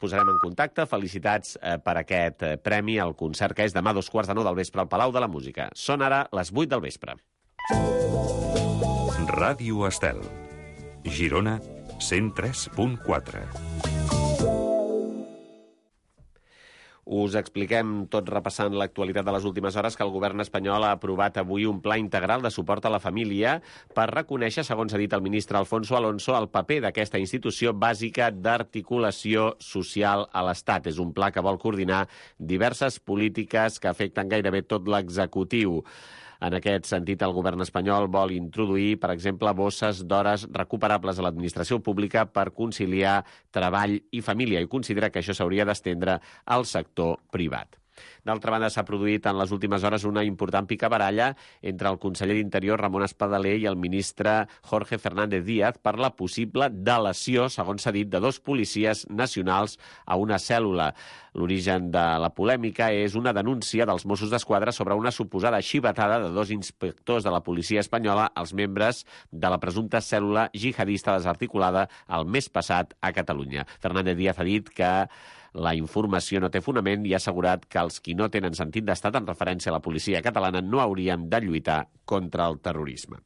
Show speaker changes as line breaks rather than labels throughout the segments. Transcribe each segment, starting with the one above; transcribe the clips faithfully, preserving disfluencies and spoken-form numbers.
posarem en contacte. Felicitats eh, per aquest eh, premi al concert que és demà a dos quarts de nou del vespre al Palau de la Música. Són ara les vuit del vespre.
Ràdio Estel, Girona, cent tres punt quatre.
Us expliquem, tot repassant l'actualitat de les últimes hores, que el govern espanyol ha aprovat avui un pla integral de suport a la família per reconèixer, segons ha dit el ministre Alfonso Alonso, el paper d'aquesta institució bàsica d'articulació social a l'Estat. És un pla que vol coordinar diverses polítiques que afecten gairebé tot l'executiu. En aquest sentit, el govern espanyol vol introduir, per exemple, bosses d'hores recuperables a l'administració pública per conciliar treball i família, i considera que això s'hauria d'estendre al sector privat. D'altra banda, s'ha produït en les últimes hores una important picabaralla entre el conseller d'Interior, Ramon Espadaler, i el ministre Jorge Fernández Díaz per la possible delació, segons s'ha dit, de dos policies nacionals a una cèl·lula. L'origen de la polèmica és una denúncia dels Mossos d'Esquadra sobre una suposada xivatada de dos inspectors de la policia espanyola als membres de la presumpta cèl·lula jihadista desarticulada el mes passat a Catalunya. Fernández Díaz ha dit que la informació no té fonament i ha assegurat que els qui no tenen sentit d'estat en referència a la policia catalana no haurien de lluitar contra el terrorisme.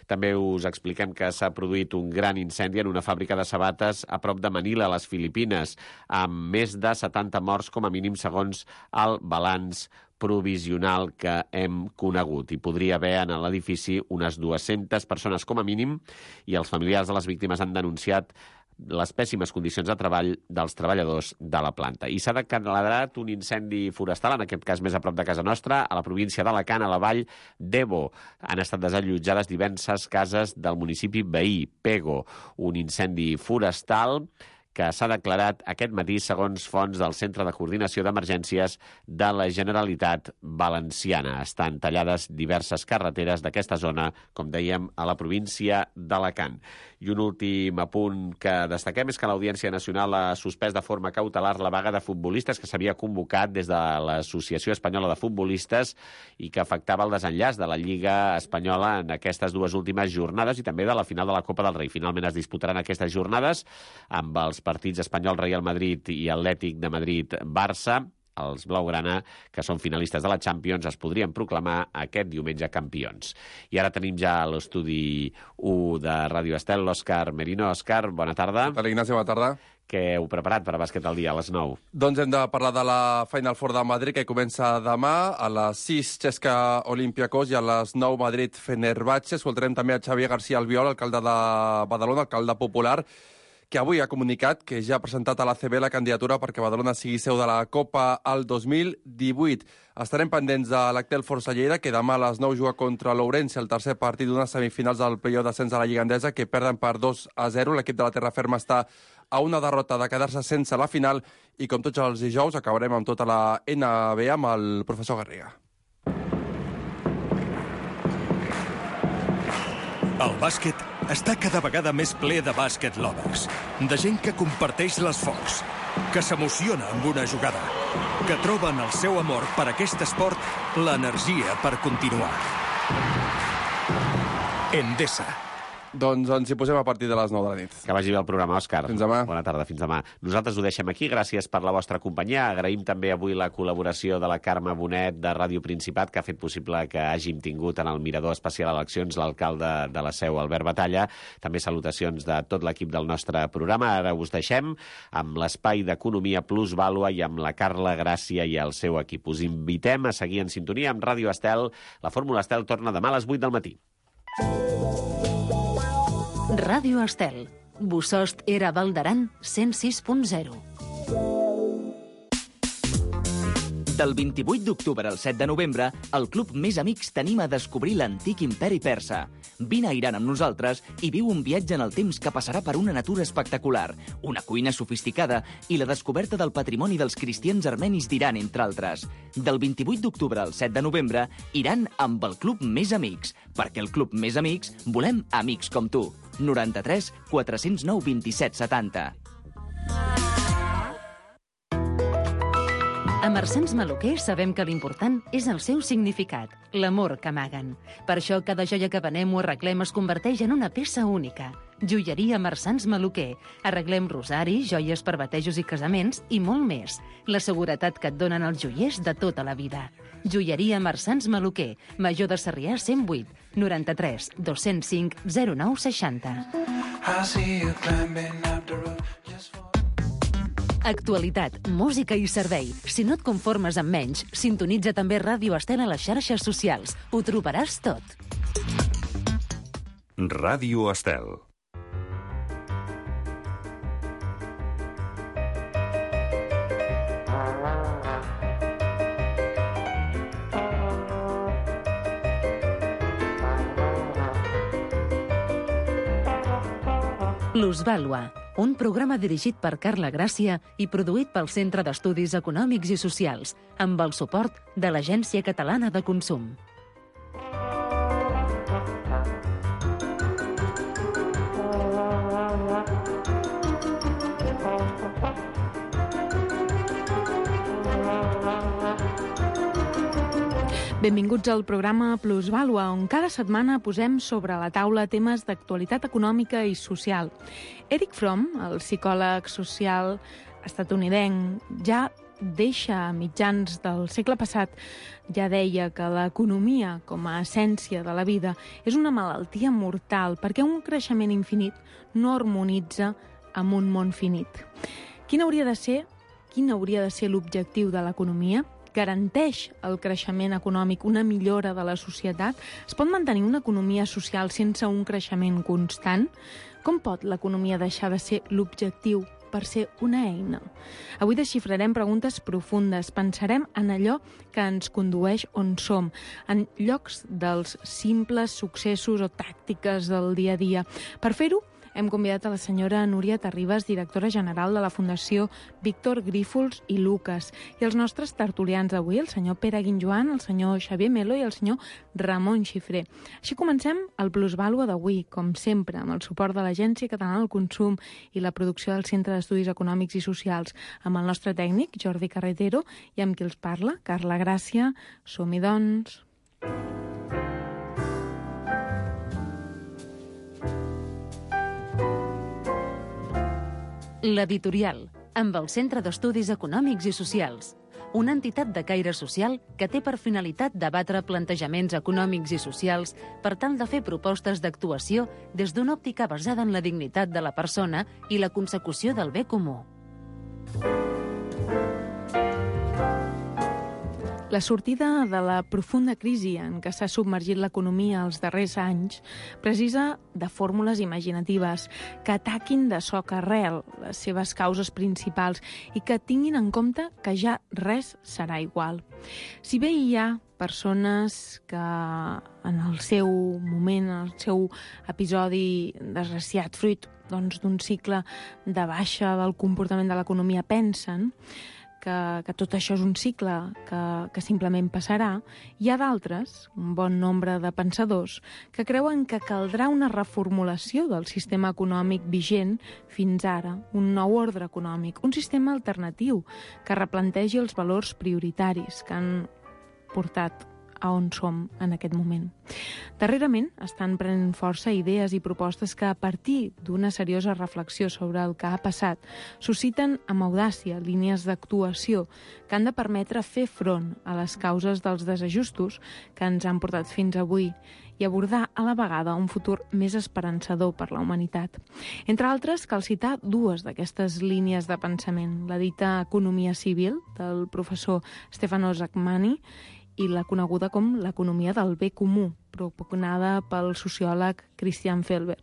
També us expliquem que s'ha produït un gran incendi en una fàbrica de sabates a prop de Manila, a les Filipines, amb més de setanta morts com a mínim segons el balanç provisional que hem conegut. Hi podria haver en l'edifici unes dues-centes persones com a mínim i els familiars de les víctimes han denunciat les pèssimes condicions de treball dels treballadors de la planta. I s'ha declarat un incendi forestal, en aquest cas més a prop de casa nostra, a la província d'Alacant, a la vall d'Ebo. Han estat desallotjades diverses cases del municipi veí, Pego. Un incendi forestal que s'ha declarat aquest matí segons fonts del Centre de Coordinació d'Emergències de la Generalitat Valenciana. Estan tallades diverses carreteres d'aquesta zona, com dèiem, a la província d'Alacant. I un últim apunt que destaquem és que l'Audiència Nacional ha suspès de forma cautelar la vaga de futbolistes que s'havia convocat des de l'Associació Espanyola de Futbolistes i que afectava el desenllaç de la Lliga Espanyola en aquestes dues últimes jornades i també de la final de la Copa del Rei. Finalment es disputaran aquestes jornades amb els partits Espanyol, Real Madrid i Atlètic de Madrid-Barça. Els blaugrana, que són finalistes de la Champions, es podrien proclamar aquest diumenge campions. I ara tenim ja a l'estudi u de Ràdio Estel l'Òscar Merino. Òscar, bona tarda.
Hola, Ignasi, bona tarda.
Què heu preparat per a Bàsquet al dia a les nou?
Doncs hem de parlar de la Final Four de Madrid, que comença demà. A les sis, Cesca Olympiacos, i a les nou, Madrid Fenerbahçe. Escoltarem també a Xavier García Albiol, alcalde de Badalona, alcalde popular, que avui ha comunicat que ja ha presentat a l'A C B la candidatura perquè Badalona sigui seu de la Copa al dos mil divuit. Estarem pendents de l'Actel Força Lleida, que demà a les nou juga contra l'Ourense, el tercer partit d'unes semifinals del play-off d'ascens de la Lliga Endesa, que perden per dos a zero. L'equip de la Terra Ferma està a una derrota de quedar-se sense la final i, com tots els dijous, acabarem amb tota la N B A amb el professor Garriga.
El bàsquet està cada vegada més ple de bàsquet lovers, de gent que comparteix l'esforç, que s'emociona amb una jugada, que troben el seu amor per aquest esport l'energia per continuar. Endesa.
Doncs ens hi posem a partir de les nou de la nit.
Que vagi bé el programa, Òscar.
Fins demà.
Bona tarda, fins demà. Nosaltres ho deixem aquí. Gràcies per la vostra companyia. Agraïm també avui la col·laboració de la Carme Bonet de Ràdio Principat, que ha fet possible que hàgim tingut en el Mirador Especial Eleccions l'alcalde de la Seu, Albert Batalla. També salutacions de tot l'equip del nostre programa. Ara us deixem amb l'espai d'Economia Plus Vàlua i amb la Carla Gràcia i el seu equip. Us invitem a seguir en sintonia amb Ràdio Estel. La Fórmula Estel torna demà a les vuit del matí.
Ràdio Estel. Bossòst era Val d'Aran cent sis punt zero.
Del vint-i-vuit d'octubre al set de novembre, el Club Més Amics t'anima a descobrir l'antic imperi persa. Vine a Iran amb nosaltres i viu un viatge en el temps que passarà per una natura espectacular, una cuina sofisticada i la descoberta del patrimoni dels cristians armenis d'Iran, entre altres. Del vint-i-vuit d'octubre al set de novembre, Iran amb el Club Més Amics, perquè el Club Més Amics volem amics com tu. noranta-tres quatre-cents nou vint-i-set setanta.
A Marsans Maluquer sabem que l'important és el seu significat, l'amor que amaguen. Per això cada joia que venem o arreglem es converteix en una peça única. Joieria Marsans Maluquer. Arreglem rosaris, joies per batejos i casaments i molt més. La seguretat que et donen els joiers de tota la vida. Joieria Marsans Maluquer. Major de Sarrià cent vuit, noranta-tres, dos-cents cinc, zero nou seixanta. Actualitat, música i servei. Si no et conformes amb menys, sintonitza també Ràdio Estel a les xarxes socials. Ho trobaràs tot.
Ràdio Estel.
Plusvàlua, un programa dirigit per Carla Gràcia i produït pel Centre d'Estudis Econòmics i Socials, amb el suport de l'Agència Catalana de Consum.
Benvinguts al programa Plusvàlua, on cada setmana posem sobre la taula temes d'actualitat econòmica i social. Eric Fromm, el psicòleg social estatunidenc, ja deixa a mitjans del segle passat, ja deia que l'economia, com a essència de la vida, és una malaltia mortal perquè un creixement infinit no harmonitza amb un món finit. Quin hauria de ser, quin hauria de ser l'objectiu de l'economia? Garanteix el creixement econòmic una millora de la societat? Es pot mantenir una economia social sense un creixement constant? Com pot l'economia deixar de ser l'objectiu per ser una eina? Avui desxifrarem preguntes profundes, pensarem en allò que ens condueix on som, en llocs dels simples successos o tàctiques del dia a dia. Per fer-ho, hem convidat a la senyora Núria Terribas, directora general de la Fundació Víctor Grífols i Lucas, i els nostres tertulians d'avui, el senyor Pere Guinjoan, el senyor Xavier Melo i el senyor Ramon Xifré. Així comencem el Plusvàlua d'avui, com sempre, amb el suport de l'Agència Catalana del Consum i la producció del Centre d'Estudis Econòmics i Socials, amb el nostre tècnic, Jordi Carretero, i amb qui els parla, Carla Gràcia. Som-hi, doncs.
L'Editorial, amb el Centre d'Estudis Econòmics i Socials, una entitat de caire social que té per finalitat debatre plantejaments econòmics i socials per tal de fer propostes d'actuació des d'una òptica basada en la dignitat de la persona i la consecució del bé comú.
La sortida de la profunda crisi en què s'ha submergit l'economia els darrers anys precisa de fórmules imaginatives que ataquin de soc arrel les seves causes principals i que tinguin en compte que ja res serà igual. Si bé hi ha persones que en el seu moment, en el seu episodi desgraciat, fruit doncs, d'un cicle de baixa del comportament de l'economia, pensen Que, que tot això és un cicle que, que simplement passarà, hi ha d'altres, un bon nombre de pensadors, que creuen que caldrà una reformulació del sistema econòmic vigent fins ara, un nou ordre econòmic, un sistema alternatiu que replantegi els valors prioritaris que han portat a on som en aquest moment. Darrerament estan prenent força idees i propostes que, a partir d'una seriosa reflexió sobre el que ha passat, susciten amb audàcia línies d'actuació que han de permetre fer front a les causes dels desajustos que ens han portat fins avui i abordar a la vegada un futur més esperançador per la humanitat. Entre altres, cal citar dues d'aquestes línies de pensament, la dita economia civil, del professor Stefano Zacmani, i la coneguda com l'economia del bé comú, propugnada pel sociòleg Christian Felber.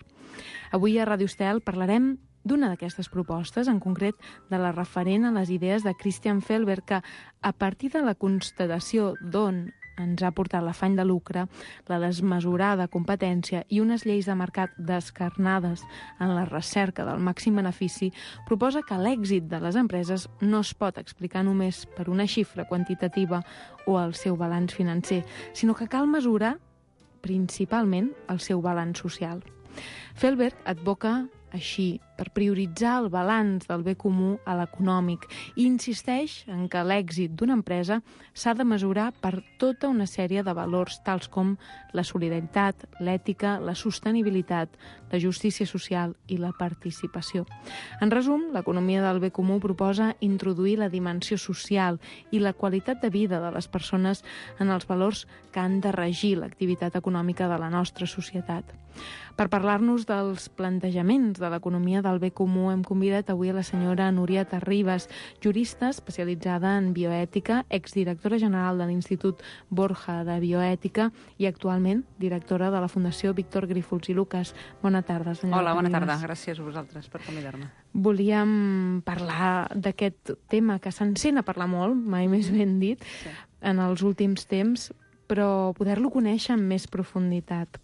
Avui a Ràdio Estel parlarem d'una d'aquestes propostes, en concret de la referent a les idees de Christian Felber, que a partir de la constatació d'on ens ha portat l'afany de lucre, la desmesurada competència i unes lleis de mercat descarnades en la recerca del màxim benefici, proposa que l'èxit de les empreses no es pot explicar només per una xifra quantitativa o el seu balanç financer, sinó que cal mesurar principalment el seu balanç social. Felber advoca així per prioritzar el balanç del bé comú a l'econòmic i insisteix en que l'èxit d'una empresa s'ha de mesurar per tota una sèrie de valors tals com la solidaritat, l'ètica, la sostenibilitat, la justícia social i la participació. En resum, l'economia del bé comú proposa introduir la dimensió social i la qualitat de vida de les persones en els valors que han de regir l'activitat econòmica de la nostra societat. Per parlar-nos dels plantejaments de l'economia del bé comú hem convidat avui a la senyora Núria Terribas, jurista especialitzada en bioètica, exdirectora general de l'Institut Borja de Bioètica i actualment directora de la Fundació Víctor Grífols i Lucas. Bona tarda, senyora
Hola, bona
Terribas.
tarda. Gràcies a vosaltres per convidar-me.
Volíem parlar d'aquest tema que s'encén a parlar molt, mai més ben dit,
Sí.
en els últims temps, però poder-lo conèixer amb més profunditat.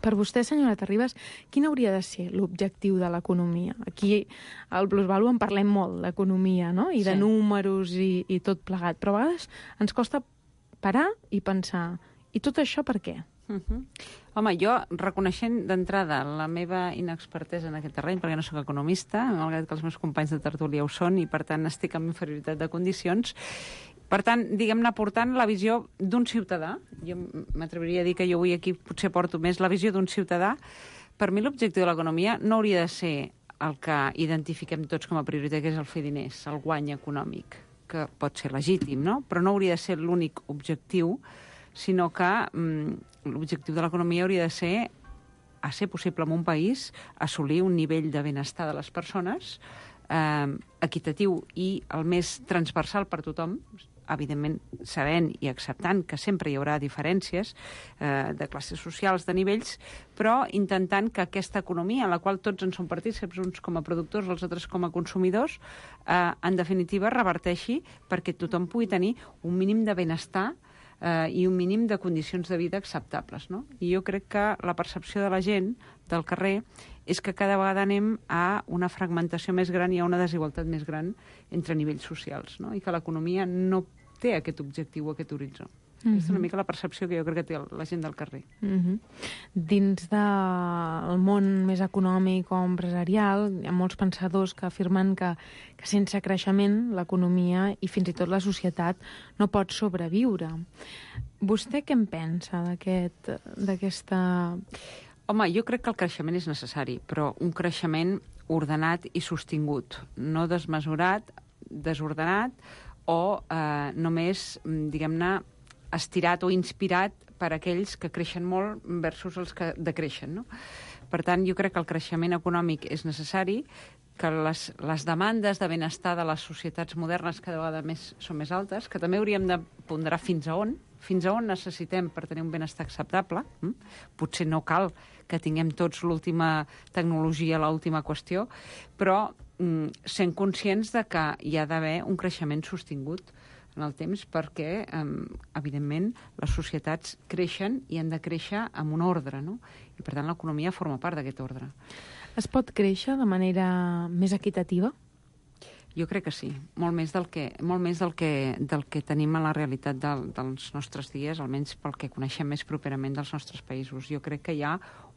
Per vostè, senyora Terribas, quin hauria de ser l'objectiu de l'economia? Aquí al Plusvalue en parlem molt, l'economia, no? I de
Sí.
números i, i tot plegat. Però a vegades ens costa parar i pensar, i tot això per què?
Uh -huh. Home, jo, reconeixent d'entrada la meva inexpertesa en aquest terreny, perquè no sóc economista, malgrat que els meus companys de tertúlia ho són, i per tant estic en inferioritat de condicions, per tant, diguem-ne, portant la visió d'un ciutadà, jo m'atreviria a dir que jo avui aquí potser porto més la visió d'un ciutadà, per mi l'objectiu de l'economia no hauria de ser el que identifiquem tots com a prioritat, que és el fer diners, el guany econòmic, que pot ser legítim, no? Però no hauria de ser l'únic objectiu, sinó que mm, l'objectiu de l'economia hauria de ser, a ser possible en un país, assolir un nivell de benestar de les persones eh, equitatiu i el més transversal per tothom, evidentment sabent i acceptant que sempre hi haurà diferències eh, de classes socials, de nivells, però intentant que aquesta economia, en la qual tots en som partícips, uns com a productors, els altres com a consumidors, eh, en definitiva reverteixi perquè tothom pugui tenir un mínim de benestar eh, i un mínim de condicions de vida acceptables, no? I jo crec que la percepció de la gent del carrer és que cada vegada anem a una fragmentació més gran i a una desigualtat més gran entre nivells socials, no? I que l'economia no té aquest objectiu, aquest horitzó. Mm-hmm. Aquesta és una mica la percepció que jo crec que té la gent del carrer.
Mm-hmm. Dins del món més econòmic o empresarial, hi ha molts pensadors que afirmen que, que sense creixement l'economia i fins i tot la societat no pot sobreviure. Vostè què en pensa d'aquest, d'aquesta...
Home, jo crec que el creixement és necessari, però un creixement ordenat i sostingut, no desmesurat, desordenat o eh, només, diguem-ne, estirat o inspirat per aquells que creixen molt versus els que decreixen, no? Per tant, jo crec que el creixement econòmic és necessari, que les, les demandes de benestar de les societats modernes cada vegada més són més altes, que també hauríem de ponderar fins a on, fins a on necessitem per tenir un benestar acceptable. Mm? Potser no cal que tinguem tots l'última tecnologia, l'última qüestió, però mm, sent conscients de que hi ha d'haver un creixement sostingut en el temps perquè, eh, evidentment, les societats creixen i han de créixer amb un ordre, no? I, per tant, l'economia forma part d'aquest ordre.
Es pot créixer de manera més equitativa?
Jo crec que sí, molt més del que, molt més del que, del que tenim a la realitat del, dels nostres dies, almenys pel que coneixem més properament dels nostres països. Jo crec que hi ha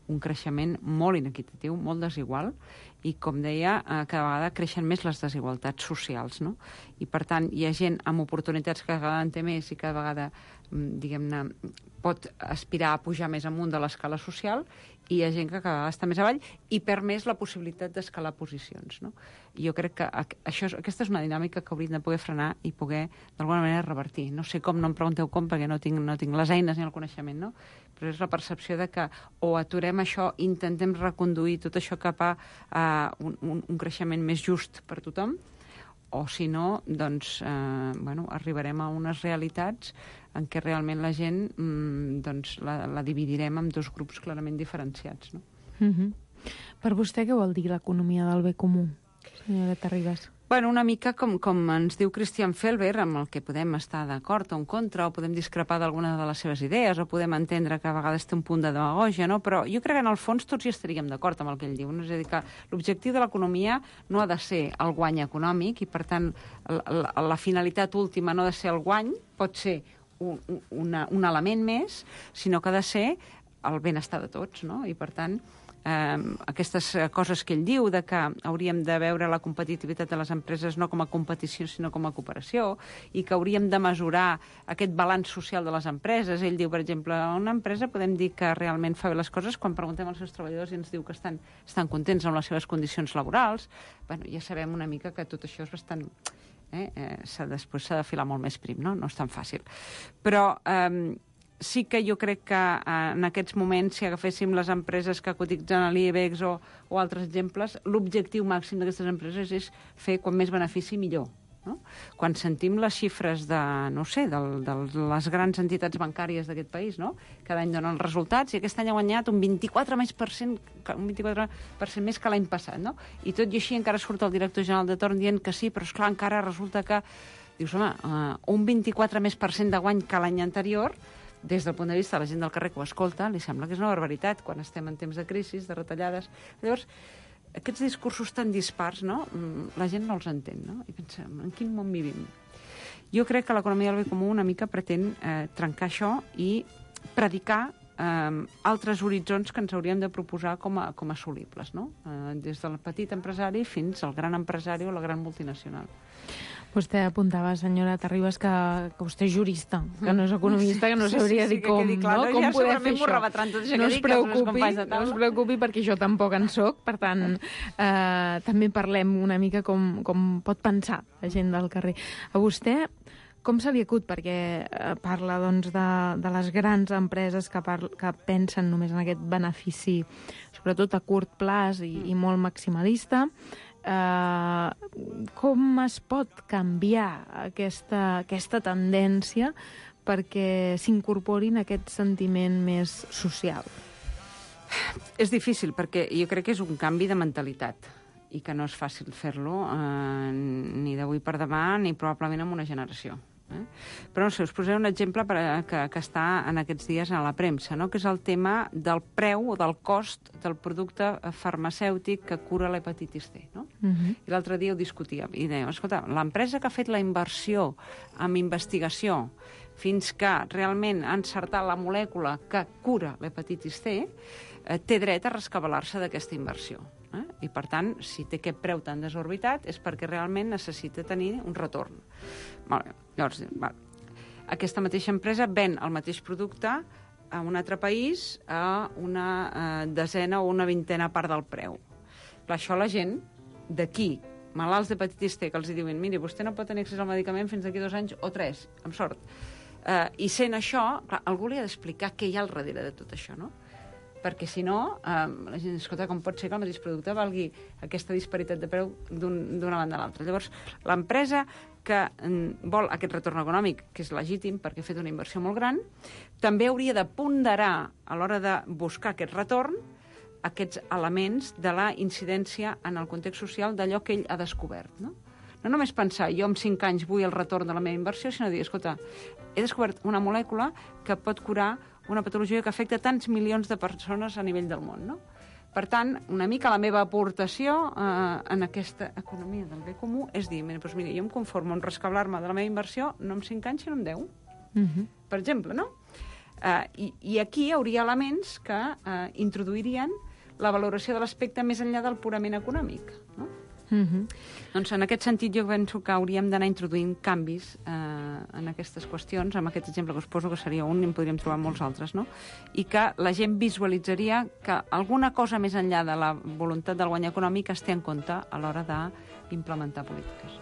un creixement molt inequitatiu, molt desigual, i, com deia, eh, cada vegada creixen més les desigualtats socials, no? I, per tant, hi ha gent amb oportunitats que cada vegada en té més i cada vegada, diguem-ne, pot aspirar a pujar més amunt de l'escala social, i hi ha gent que cada vegada està més avall i perd més la possibilitat d'escalar posicions, no? I jo crec que això, aquesta és una dinàmica que hauríem de poder frenar i poder, d'alguna manera, revertir. No sé com, no em pregunteu com, perquè no tinc, no tinc les eines ni el coneixement, no? Però és la percepció de que o aturem això, intentem reconduir tot això cap a uh, un, un, un creixement més just per tothom, o si no, doncs, eh, bueno, arribarem a unes realitats en què realment la gent mm, doncs, la, la dividirem en dos grups clarament diferenciats, no?
Mm-hmm. Per vostè què vol dir l'economia del bé comú, senyora Terribas?
Bueno, una mica com, com ens diu Christian Felber, amb el que podem estar d'acord o en contra, o podem discrepar d'alguna de les seves idees, o podem entendre que a vegades té un punt de demagògia, no? Però jo crec que en el fons tots hi estaríem d'acord amb el que ell diu, no? És a dir, que l'objectiu de l'economia no ha de ser el guany econòmic, i per tant la, la, la finalitat última no ha de ser el guany, pot ser un, una, un element més, sinó que ha de ser el benestar de tots, no? I per tant eh, aquestes coses que ell diu, de que hauríem de veure la competitivitat de les empreses no com a competició, sinó com a cooperació, i que hauríem de mesurar aquest balanç social de les empreses. Ell diu, per exemple, una empresa podem dir que realment fa bé les coses quan preguntem als seus treballadors i ens diu que estan, estan contents amb les seves condicions laborals. Bueno, ja sabem una mica que tot això és bastant... Eh, eh, s'ha, després s'ha de filar molt més prim, no? No és tan fàcil. Però... Eh, sí que jo crec que eh, en aquests moments, si agaféssim les empreses que cotitzen a l'I B E X o, o altres exemples, l'objectiu màxim d'aquestes empreses és fer quan més benefici millor. No? Quan sentim les xifres de, no sé, de, de les grans entitats bancàries d'aquest país, no? Cada any donen els resultats i aquest any ha guanyat un vint-i-quatre per cent, un vint-i-quatre per cent més que l'any passat, no? I tot i així encara surt el director general de torn dient que sí, però esclar, encara resulta que dius, home, uh, un vint-i-quatre més per cent de guany que l'any anterior, des del punt de vista de la gent del carrer que ho escolta, li sembla que és una barbaritat quan estem en temps de crisi, de retallades. Llavors, aquests discursos tan dispars, no? La gent no els entén, no? I pensa, en quin món vivim? Jo crec que l'economia del bé comú una mica pretén eh, trencar això i predicar eh, altres horitzons que ens hauríem de proposar com a, com a assolibles, no? Eh, des del petit empresari fins al gran empresari o la gran multinacional.
Vostè apuntava, senyora Terribas, que, que vostè és jurista, que no és economista, que no sabria
sí, sí, sí,
dir com,
que clar,
no?
no?
Com
Ja
poder fer això.
Tot això
no,
que
es
dic,
preocupi,
de
no es preocupi, perquè jo tampoc en soc, per tant, eh, també parlem una mica com, com pot pensar la gent del carrer. A vostè, com se li acut? Perquè eh, parla doncs, de, de les grans empreses que, par que pensen només en aquest benefici, sobretot a curt plaç i, i molt maximalista. Uh, com es pot canviar aquesta, aquesta tendència perquè s'incorporin aquest sentiment més social?
És difícil, perquè jo crec que és un canvi de mentalitat i que no és fàcil fer-lo eh, ni d'avui per demà ni probablement en una generació. Eh? Però no sé, us posaré un exemple per a, que, que està en aquests dies a la premsa, no? Que és el tema del preu o del cost del producte farmacèutic que cura l'hepatitis C. No? Uh-huh. I l'altre dia ho discutíem i dèiem, escolta, l'empresa que ha fet la inversió en investigació fins que realment ha encertat la molècula que cura l'hepatitis C eh, té dret a rescabalar-se d'aquesta inversió. Eh? I, per tant, si té aquest preu tan desorbitat és perquè realment necessita tenir un retorn. Vale. Llavors, va. Aquesta mateixa empresa ven el mateix producte a un altre país a una eh, desena o una vintena part del preu. Clar, això la gent d'aquí, malalts d'hepatitis C, que els diuen, miri, vostè no pot tenir accés al medicament fins d'aquí dos anys o tres, amb sort. Eh, I sent això, clar, algú li ha d'explicar què hi ha al darrere de tot això, no? Perquè si no, eh, la gent, escolta, com pot ser que el mateix producte valgui aquesta disparitat de preu d'una un, banda a l'altra. Llavors, l'empresa que mm, vol aquest retorn econòmic, que és legítim perquè ha fet una inversió molt gran, també hauria de ponderar a l'hora de buscar aquest retorn aquests elements de la incidència en el context social d'allò que ell ha descobert, no? No només pensar, jo amb cinc anys vull el retorn de la meva inversió, sinó dir, escolta, he descobert una molècula que pot curar una patologia que afecta tants milions de persones a nivell del món, no? Per tant, una mica la meva aportació eh, en aquesta economia del bé comú és dir, mira, doncs mira, jo em conformo en rescablar-me de la meva inversió no en cinc anys, sinó en deu. Uh-huh. Per exemple, no? Eh, i, I aquí hi hauria elements que eh, introduirien la valoració de l'aspecte més enllà del purament econòmic, no? Uh-huh. Doncs en aquest sentit jo penso que hauríem d'anar introduint canvis eh, en aquestes qüestions, amb aquest exemple que us poso que seria un i en podríem trobar molts altres, no? I que la gent visualitzaria que alguna cosa més enllà de la voluntat del guany econòmic es té en compte a l'hora d'implementar polítiques.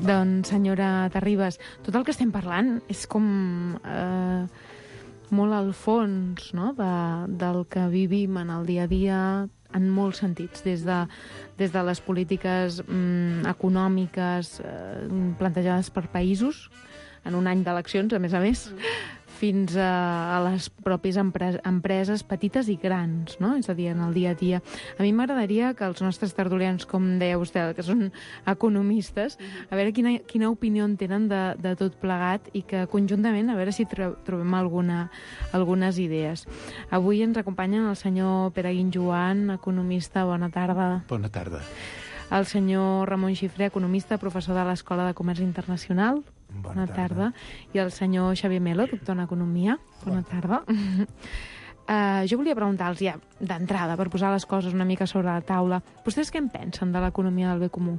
Doncs, senyora Terribas, tot el que estem parlant és com eh, molt al fons, no?, de, del que vivim en el dia a dia en molts sentits, des de, des de les polítiques mm, econòmiques eh, plantejades per països, en un any d'eleccions, a més a més, fins a, a les pròpies empre empreses petites i grans, no? És a dir, en el dia a dia. A mi m'agradaria que els nostres tertulians, com deia vostè, que són economistes, a veure quina, quina opinió en tenen de, de tot plegat i que conjuntament a veure si tro trobem alguna, algunes idees. Avui ens acompanyen el senyor Pere Guinjoan, economista. Bona tarda.
Bona tarda.
El senyor Ramon Xifré, economista, professor de l'Escola de Comerç Internacional. Bona, Bona tarda. tarda. I el senyor Xavier Melo, doctor en Economia. Bona, Bona tarda. Uh, jo volia preguntar-los ja, d'entrada, per posar les coses una mica sobre la taula, vostès què en pensen de l'economia del bé comú?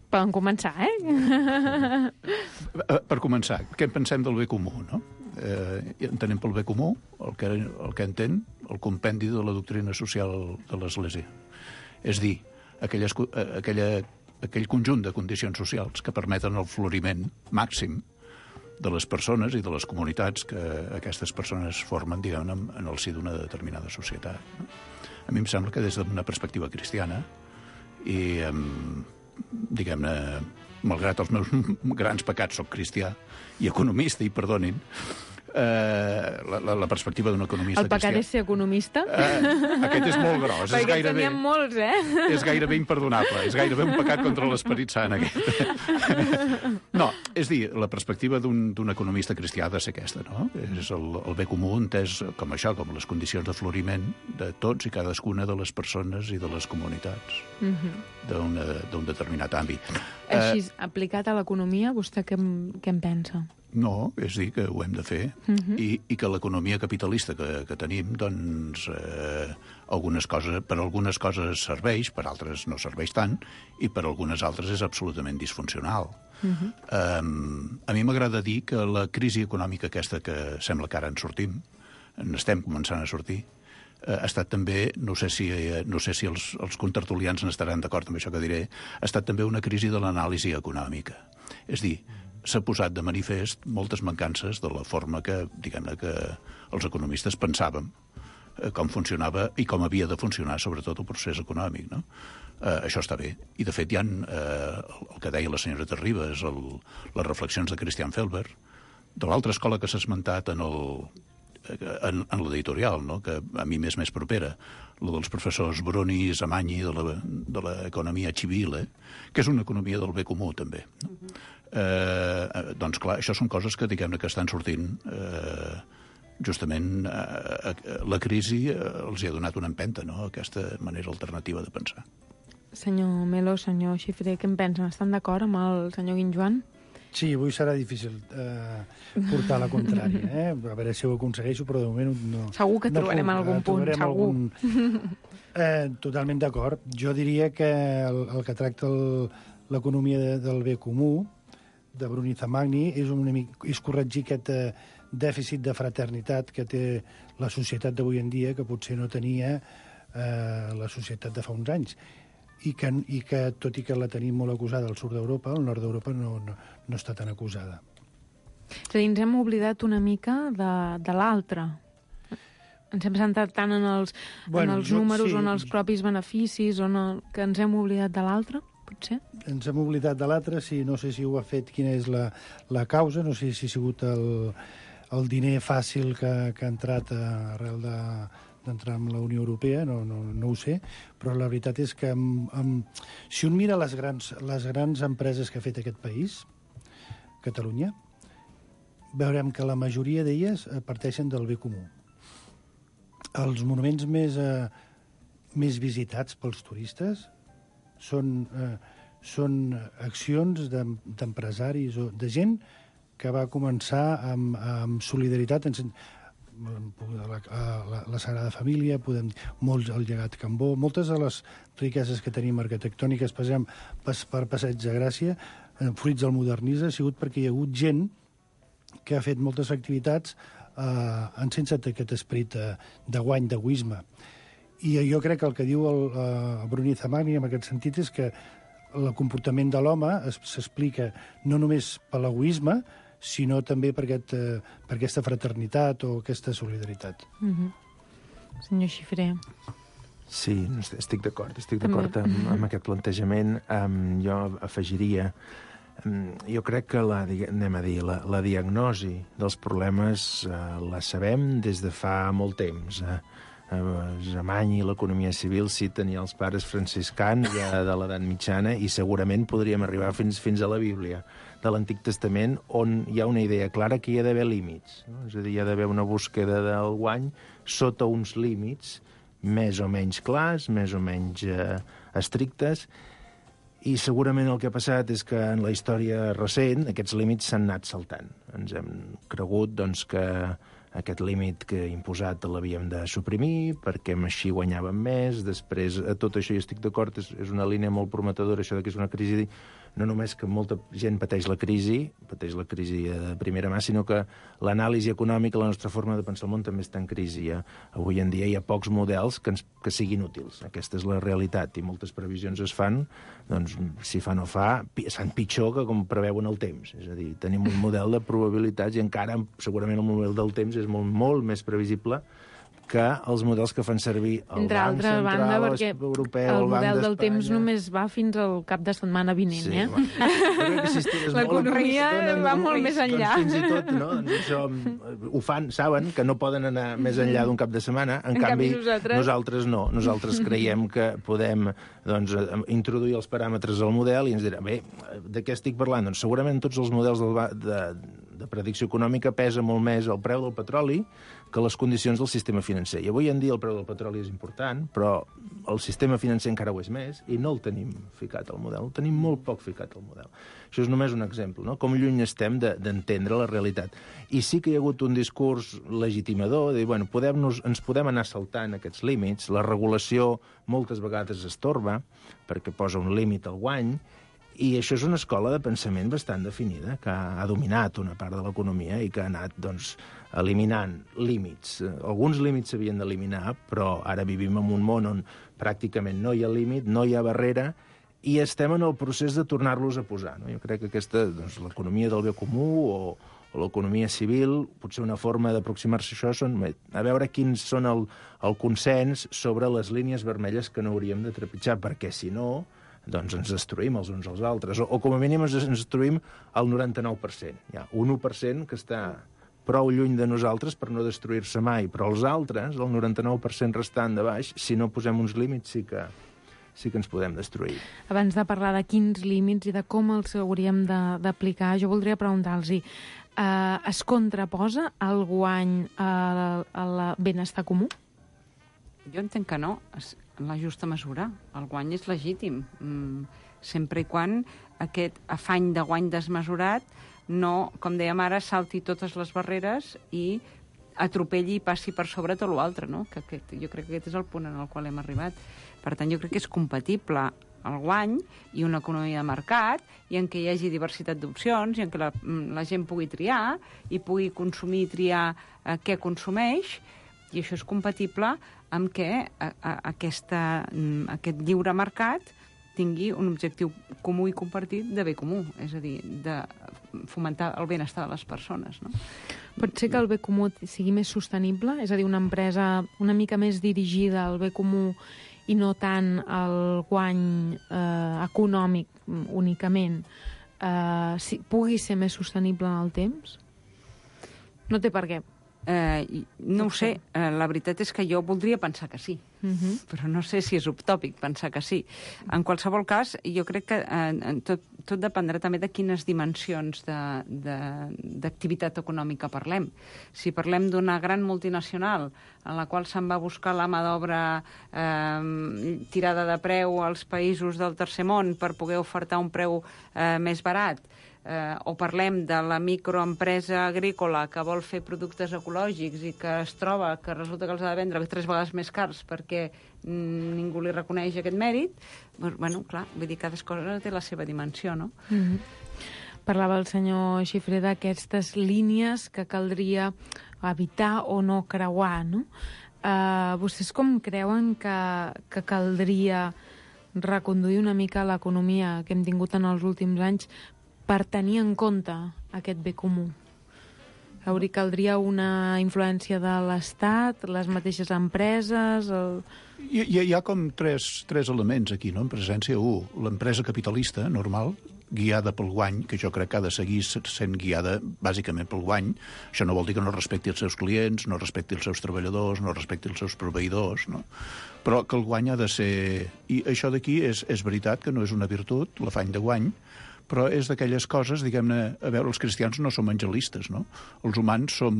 Poden començar, eh?
Per començar, què en pensem del bé comú, no? Eh, entenem pel bé comú el que, el que entén el compendi de la doctrina social de l'Església. És dir, aquelles, aquella, aquell conjunt de condicions socials que permeten el floriment màxim de les persones i de les comunitats que aquestes persones formen, diguem-ne, en el si d'una determinada societat. A mi em sembla que des d'una perspectiva cristiana i, diguem-ne, malgrat els meus grans pecats, soc cristià i economista, i perdonin, eh, la, la, la perspectiva d'un economista
cristià... El pecat
cristià,
és ser economista?
Eh, aquest és molt gros.
Perquè
és gairebé,
teníem molts, eh?
És gairebé imperdonable. És gairebé un pecat contra l'esperit sant, aquest. No, és dir, la perspectiva d'un economista cristià ha de ser aquesta, no? És el, el bé comú entès com això, com les condicions de floriment de tots i cadascuna de les persones i de les comunitats uh-huh. d'un determinat àmbit.
Així, eh, aplicat a l'economia, vostè què, què en pensa?
No, és dir, que ho hem de fer uh-huh. i, i que l'economia capitalista que, que tenim, doncs, eh, algunes coses, per algunes coses serveix, per altres no serveix tant, i per algunes altres és absolutament disfuncional. Uh-huh. um, a mi m'agrada dir que la crisi econòmica aquesta que sembla que ara en sortim, n'estem començant a sortir, ha estat també, no sé si, no sé si els, els contertulians n'estaran d'acord amb això que diré, ha estat també una crisi de l'anàlisi econòmica. És dir, s'ha posat de manifest moltes mancances de la forma que, diguem-ne, que els economistes pensàvem eh, com funcionava i com havia de funcionar, sobretot, el procés econòmic, no? Eh, això està bé. I, de fet, hi ha eh, el que deia la senyora Terribas, el, les reflexions de Christian Felber, de l'altra escola que s'ha esmentat en el en, en l'editorial, no? Que a mi m'és més propera, la dels professors Bruni i Zamanyi de l'economia civile, que és una economia del bé comú, també. No? Uh-huh. eh, doncs, clar, això són coses que, diguem-ne, que estan sortint eh, justament eh, la crisi eh, els hi ha donat una empenta, no?, aquesta manera alternativa de pensar.
Senyor Melo, senyor Xifré, què en pensen? Estan d'acord amb el senyor Guinjoan?
Sí, avui serà difícil eh, portar la contrària, eh? A veure si ho aconsegueixo, però de moment no...
Segur que trobarem no, algun punt, segur. Algun...
Eh, totalment d'acord. Jo diria que el, el que tracta l'economia de, del bé comú, de Bruni Zamagni, és, una, és corregir aquest eh, dèficit de fraternitat que té la societat d'avui en dia, que potser no tenia eh, la societat de fa uns anys. I que, i que, tot i que la tenim molt acusada al sud d'Europa, al nord d'Europa no, no, no està tan acusada.
És a dir, ens hem oblidat una mica de, de l'altre. Ens hem centrat tant en els, bueno, en els jo, números sí, o en els propis beneficis, o en el, que ens hem oblidat de l'altre, potser? Ens
hem oblidat de l'altre, sí, no sé si ho ha fet, quina és la, la causa, no sé si ha sigut el, el diner fàcil que, que ha entrat arrel de... d'entrar en la Unió Europea, no, no, no ho sé, però la veritat és que amb, amb, si un mira les grans, les grans empreses que ha fet aquest país, Catalunya, veurem que la majoria d'elles parteixen del bé comú. Els monuments més, eh, més visitats pels turistes són, eh, són accions d'empresaris o de gent que va començar amb, amb solidaritat en La, la, la Sagrada Família, podem dir, molts, el llegat Cambó, moltes de les riqueses que tenim arquitectòniques, passem per, per Passeig de Gràcia, fruits del modernisme, ha sigut perquè hi ha hagut gent que ha fet moltes activitats eh, en sense aquest esperit eh, de guany, d'egoisme. I jo crec que el que diu el, el Bruni Zamagni en aquest sentit és que el comportament de l'home s'explica no només per l'egoisme, sinó també per, aquest, per aquesta fraternitat o aquesta solidaritat.
Mm-hmm. Senyor Xifré.
Sí, estic d'acord, estic d'acord amb, amb aquest plantejament. Um, jo afegiria jo crec que la, anem a dir, la, la diagnosi dels problemes eh, la sabem des de fa molt temps. Eh? Alemany i l'economia civil citen ja els pares franciscans ja de l'edat mitjana i segurament podríem arribar fins, fins a la Bíblia de l'Antic Testament, on hi ha una idea clara que hi ha d'haver límits. No? És a dir, hi ha d'haver una búsqueda del guany sota uns límits més o menys clars, més o menys eh, estrictes, i segurament el que ha passat és que en la història recent aquests límits s'han anat saltant. Ens hem cregut doncs, que aquest límit que he imposat l'havíem de suprimir perquè així guanyàvem més. Després, a tot això hi estic d'acord, és, és una línia molt prometedora, això que és una crisi, no només que molta gent pateix la crisi, pateix la crisi de primera mà, sinó que l'anàlisi econòmica, la nostra forma de pensar el món també està en crisi. Ja. Avui en dia hi ha pocs models que, ens, que siguin útils. Aquesta és la realitat, i moltes previsions es fan, doncs, si fa no fa, es fan pitjor que com preveuen el temps. És a dir, tenim un model de probabilitats i encara, segurament, el model del temps és molt, molt més previsible que els models que fan servir el Banc Central
banda, perquè
Europeu,
el,
el Banc
model del
d'Espanya.
Temps només va fins al cap de setmana vinent,
sí,
eh?
Bueno, si
l'economia va molt més enllà.
Doncs fins i tot, no? Doncs això, ho fan, saben que no poden anar més enllà d'un cap de setmana, en, en canvi, canvi nosaltres... nosaltres no. Nosaltres creiem que podem doncs, introduir els paràmetres al model i ens dirà, bé, de què estic parlant? Doncs segurament tots els models del, de, de predicció econòmica pesa molt més el preu del petroli que les condicions del sistema financer. I avui en dia el preu del petroli és important, però el sistema financer encara ho és més, i no el tenim ficat al model, el tenim molt poc ficat al model. Això és només un exemple, no? Com lluny estem d'entendre la realitat. I sí que hi ha hagut un discurs legitimador, de dir, bueno, podem nos, ens podem anar saltant aquests límits, la regulació moltes vegades estorba, perquè posa un límit al guany, i això és una escola de pensament bastant definida, que ha dominat una part de l'economia i que ha anat, doncs, eliminant límits. Alguns límits s'havien d'eliminar, però ara vivim en un món on pràcticament no hi ha límit, no hi ha barrera, i estem en el procés de tornar-los a posar. No? Jo crec que aquesta, doncs, l'economia del bé comú o, o l'economia civil, potser una forma d'aproximar-se a això són a veure quins són el, el consens sobre les línies vermelles que no hauríem de trepitjar, perquè si no, doncs ens destruïm els uns als altres, o, o com a mínim ens destruïm el noranta-nou per cent. Hi ha un u per cent que està prou lluny de nosaltres per no destruir-se mai, però els altres, el noranta-nou per cent restant de baix, si no posem uns límits, sí que, sí que ens podem destruir.
Abans de parlar de quins límits i de com els hauríem d'aplicar, jo voldria preguntar-los, eh, es contraposa el guany al benestar comú?
Jo entenc que no, en la justa mesura. El guany és legítim, sempre i quan aquest afany de guany desmesurat no, com dèiem ara, salti totes les barreres i atropelli i passi per sobre tot l'altre, no? Que aquest, jo crec que aquest és el punt en el qual hem arribat. Per tant, jo crec que és compatible el guany i una economia de mercat i en què hi hagi diversitat d'opcions i en què la, la gent pugui triar i pugui consumir i triar eh, què consumeix, i això és compatible amb què a, a, aquesta, aquest lliure mercat tingui un objectiu comú i compartit de bé comú, és a dir, de fomentar el benestar de les persones. No?
Pot ser que el bé comú sigui més sostenible? És a dir, una empresa una mica més dirigida al bé comú i no tant al guany eh, econòmic únicament, eh, si, pugui ser més sostenible en el temps? No té per què.
Eh, no ho sé, eh, la veritat és que jo voldria pensar que sí, uh-huh. però no sé si és utòpic pensar que sí. En qualsevol cas, jo crec que eh, tot, tot dependrà també de quines dimensions d'activitat econòmica parlem. Si parlem d'una gran multinacional en la qual se'n va buscar la mà d'obra eh, tirada de preu als països del tercer món per poder ofertar un preu eh, més barat, Eh, o parlem de la microempresa agrícola que vol fer productes ecològics i que es troba que resulta que els ha de vendre tres vegades més cars perquè mm, ningú li reconeix aquest mèrit, doncs, bueno, clar, vull dir, cada cosa té la seva dimensió, no?
Mm-hmm. Parlava el senyor Xifré d'aquestes línies que caldria evitar o no creuar, no? Uh, vostès com creuen que, que caldria reconduir una mica l'economia que hem tingut en els últims anys per tenir en compte aquest bé comú? Hauria, caldria una influència de l'Estat, les mateixes empreses... El...
Hi, hi ha com tres, tres elements aquí, no? En presència, un, l'empresa capitalista normal guiada pel guany, que jo crec que ha de seguir sent guiada bàsicament pel guany. Això no vol dir que no respecti els seus clients, no respecti els seus treballadors, no respecti els seus proveïdors, no? Però que el guany ha de ser... I això d'aquí és, és veritat que no és una virtut, l'afany de guany, però és d'aquelles coses, diguem-ne, a veure, els cristians no som angelistes, no? Els humans som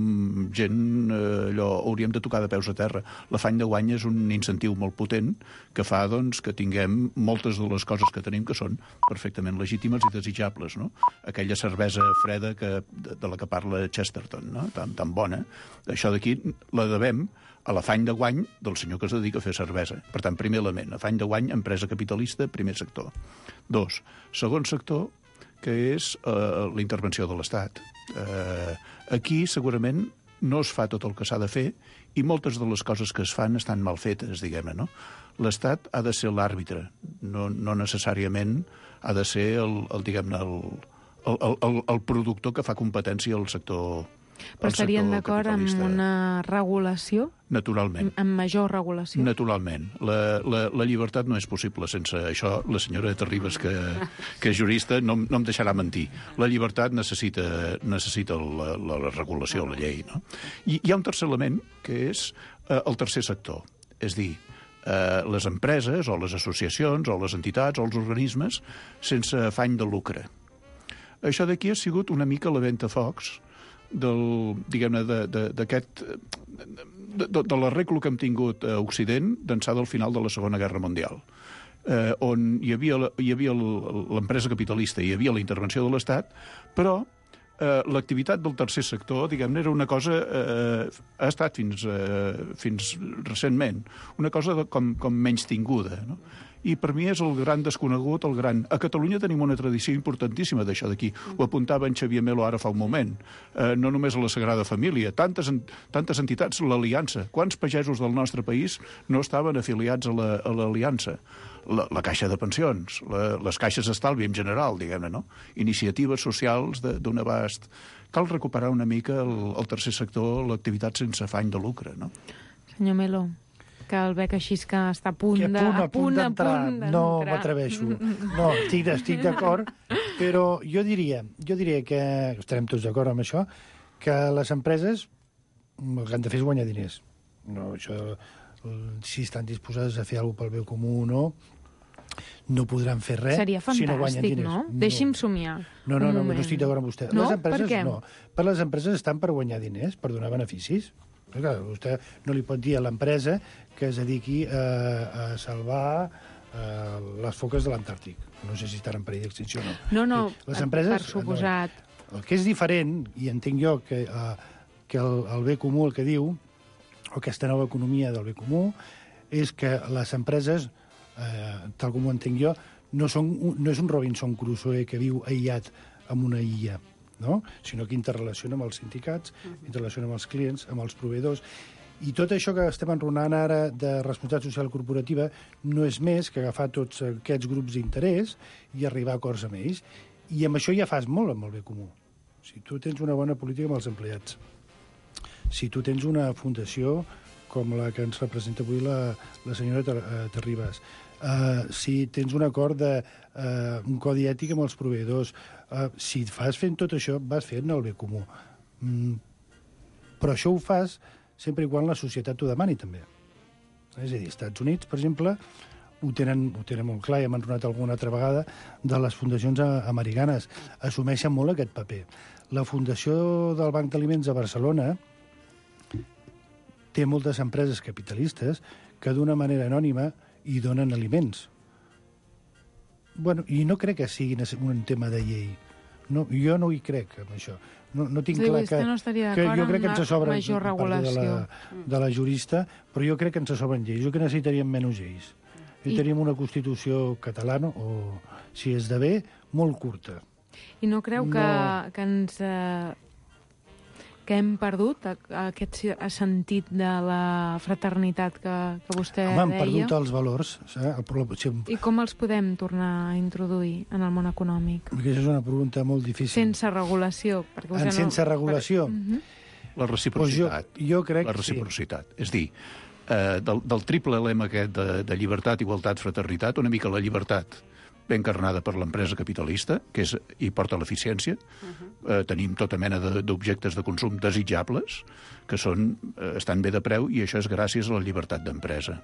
gent, eh, allò, hauríem de tocar de peus a terra. L'afany de guany és un incentiu molt potent que fa, doncs, que tinguem moltes de les coses que tenim que són perfectament legítimes i desitjables, no? Aquella cervesa freda que, de, de la que parla Chesterton, no? Tan, tan bona. Això d'aquí la devem a l'afany de guany del senyor que es dedica a fer cervesa. Per tant, primer element, afany de guany, empresa capitalista, primer sector. Dos, segon sector, que és eh, la intervenció de l'Estat. Eh, aquí, segurament, no es fa tot el que s'ha de fer i moltes de les coses que es fan estan mal fetes, diguem-ne, no? L'Estat ha de ser l'àrbitre, no, no necessàriament ha de ser el, el diguem-ne, el, el, el, el productor que fa competència al sector.
Però estarien d'acord amb una regulació?
Naturalment.
Amb major regulació?
Naturalment. La, la, la llibertat no és possible sense això. La senyora Terribas, que, que és jurista, no, no em deixarà mentir. La llibertat necessita, necessita la, la, la regulació, la llei, no? I hi ha un tercer element, que és eh, el tercer sector. És dir, eh, les empreses, o les associacions, o les entitats, o els organismes, sense afany de lucre. Això d'aquí ha sigut una mica la ventafocs del, diguem-ne, d'aquest de, de, de l'arreglo que hem tingut a Occident d'ençà del final de la Segona Guerra Mundial, eh, on hi havia, hi havia l'empresa capitalista, hi havia la intervenció de l'Estat, però eh, l'activitat del tercer sector, diguem-ne, era una cosa, eh, ha estat fins, eh, fins recentment, una cosa de, com, com menys tinguda, no? I per mi és el gran desconegut, el gran... A Catalunya tenim una tradició importantíssima d'això d'aquí. Ho apuntava en Xavier Melo ara fa un moment. Eh, no només a la Sagrada Família, tantes, tantes entitats, l'Aliança. Quants pagesos del nostre país no estaven afiliats a l'Aliança? La, la Caixa de Pensions, la, les caixes d'estalvi en general, diguem-ne, no? Iniciatives socials d'un abast. Cal recuperar una mica el, el tercer sector, l'activitat sense afany de lucre, no?
Senyor Melo, que el veig així que està a punt
que a punt, a punt d'entrar. No m'atreveixo. No, estic, estic d'acord, però jo diria, jo diria que, estarem tots d'acord amb això, que les empreses el que han de fer és guanyar diners. No, això, si estan disposades a fer alguna cosa pel bé comú o no, no podran fer res
Seria fantàstic,
si no guanyen diners.
No? Deixi'm somiar.
No, no, no, no estic d'acord amb vostè.
No?
Les empreses,
per què?
no. Per les empreses estan per guanyar diners, per donar beneficis. Perquè, clar, vostè no li pot dir a l'empresa que es dediqui a, a salvar eh, les foques de l'Antàrtic. No sé si estan en perill d'extinció o no.
No, no,
les empreses,
per suposat.
No, el que és diferent, i entenc jo que, eh, que el, el bé comú, el que diu, o aquesta nova economia del bé comú, és que les empreses, eh, tal com ho entenc jo, no, són, no és un Robinson Crusoe que viu aïllat en una illa, no? Sinó que interrelaciona amb els sindicats, interrelaciona amb els clients, amb els proveïdors. I tot això que estem enronant ara de responsabilitat social corporativa no és més que agafar tots aquests grups d'interès i arribar a acords amb ells. I amb això ja fas molt amb el bé comú. Si tu tens una bona política amb els empleats, si tu tens una fundació com la que ens representa avui la, la senyora Ter, uh, Terribas, uh, si tens un acord de uh, un codi ètic amb els proveïdors, uh, si fas fent tot això, vas fent el bé comú. Mm, però això ho fas sempre i quan la societat t'ho demani, també. És a dir, als Estats Units, per exemple, ho tenen, ho tenen molt clar, i hem enronat alguna altra vegada, de les fundacions americanes. Assumeixen molt aquest paper. La Fundació del Banc d'Aliments a Barcelona té moltes empreses capitalistes que d'una manera anònima hi donen aliments. Bueno, i no crec que sigui un tema de llei. No, jo no hi crec, amb això. No, no tinc
sí,
clar que,
no
que jo crec que ens sobren
major regulació
de la, de la jurista, però jo crec que ens sobren lleis. Jo que necessitaríem menys lleis. Necessitaríem I... una Constitució catalana, o si esdevé, molt curta.
I no creu que, no... que ens... Eh, que hem perdut aquest sentit de la fraternitat que, que vostè
Home,
deia?
Home, hem perdut els valors. Eh? El...
I com els podem tornar a introduir en el món econòmic?
Aquesta és una pregunta molt difícil.
Sense regulació. Perquè
en sense no... regulació?
Per... Uh-huh.
La reciprocitat.
Pues jo, jo crec
la reciprocitat. Sí. És dir, eh, del, del triple lema aquest de, de llibertat, igualtat, fraternitat, una mica la llibertat ben encarnada per l'empresa capitalista, que és, hi porta l'eficiència. Uh-huh. Eh, tenim tota mena de, d'objectes de consum desitjables, que són, eh, estan bé de preu, i això és gràcies a la llibertat d'empresa.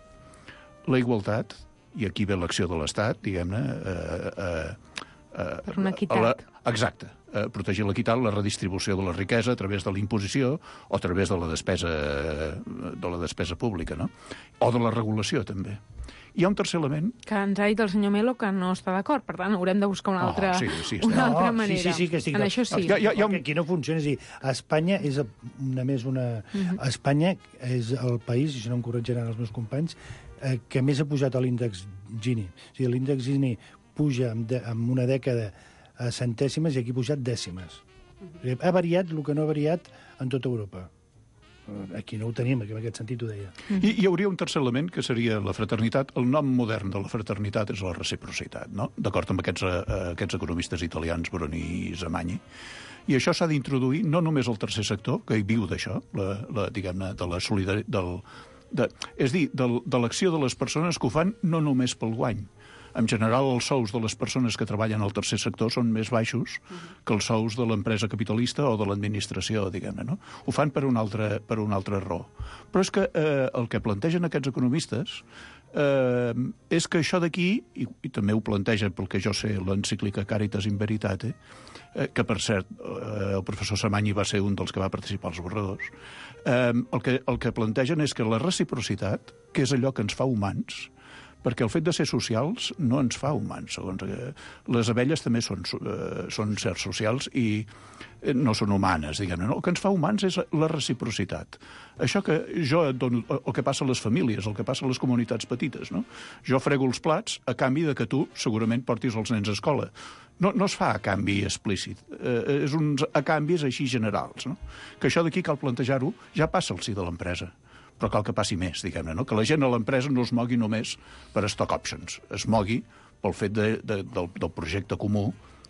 La igualtat, i aquí ve l'acció de l'Estat, diguem-ne... Eh, eh, eh,
per una equitat.
La, exacte. Eh, protegir l'equitat, la redistribució de la riquesa a través de la imposició o a través de la despesa, de la despesa pública, no? O de la regulació, també. Hi ha un tercer element...
Que ens ha dit el senyor Melo que no està d'acord, per tant, haurem de buscar una altra,
oh, sí, sí,
una altra
no,
manera.
Sí, sí, sí, que estic...
En això sí.
Ja, ja, ja... Aquí no funciona, és a dir, Espanya és una més una... Uh-huh. Espanya és el país, i si no em corregiran els meus companys, eh, que més ha pujat a l'índex Gini. O sigui, l'índex Gini puja en, de, en una dècada a centèsimes i aquí ha pujat dècimes. Uh-huh. Ha variat el que no ha variat en tota Europa. Aquí no ho tenim, en aquest sentit ho deia.
I hi hauria un tercer element, que seria la fraternitat. El nom modern de la fraternitat és la reciprocitat, no? D'acord amb aquests, eh, aquests economistes italians, Bruni i Zamagni. I això s'ha d'introduir no només al tercer sector, que hi viu d'això, la, la, diguem-ne, de la solidaritat... De, és dir, de, de l'acció de les persones que ho fan no només pel guany. En general, els sous de les persones que treballen al tercer sector són més baixos que els sous de l'empresa capitalista o de l'administració, diguem-ne, no? Ho fan per una altra, per una altra raó. Però és que eh, el que plantegen aquests economistes eh, és que això d'aquí, i, i també ho planteja, pel que jo sé, l'encíclica Caritas in Veritate, eh, que, per cert, eh, el professor Samany va ser un dels que va participar als borradors, eh, el, que, el que plantegen és que la reciprocitat, que és allò que ens fa humans, perquè el fet de ser socials no ens fa humans, segons que les abelles també són, eh, són sers socials i no són humanes, diguem-ne. No? El que ens fa humans és la reciprocitat. Això que jo et dono, el que passa a les famílies, el que passa a les comunitats petites, no? Jo frego els plats a canvi de que tu segurament portis els nens a escola. No, no es fa a canvi explícit, eh, és uns a canvis així generals, no? Que això d'aquí cal plantejar-ho, ja passa al si de l'empresa. Però cal que passi més, diguem-ne, no? Que la gent a l'empresa no es mogui només per stock options, es mogui pel fet de, de, del, del projecte comú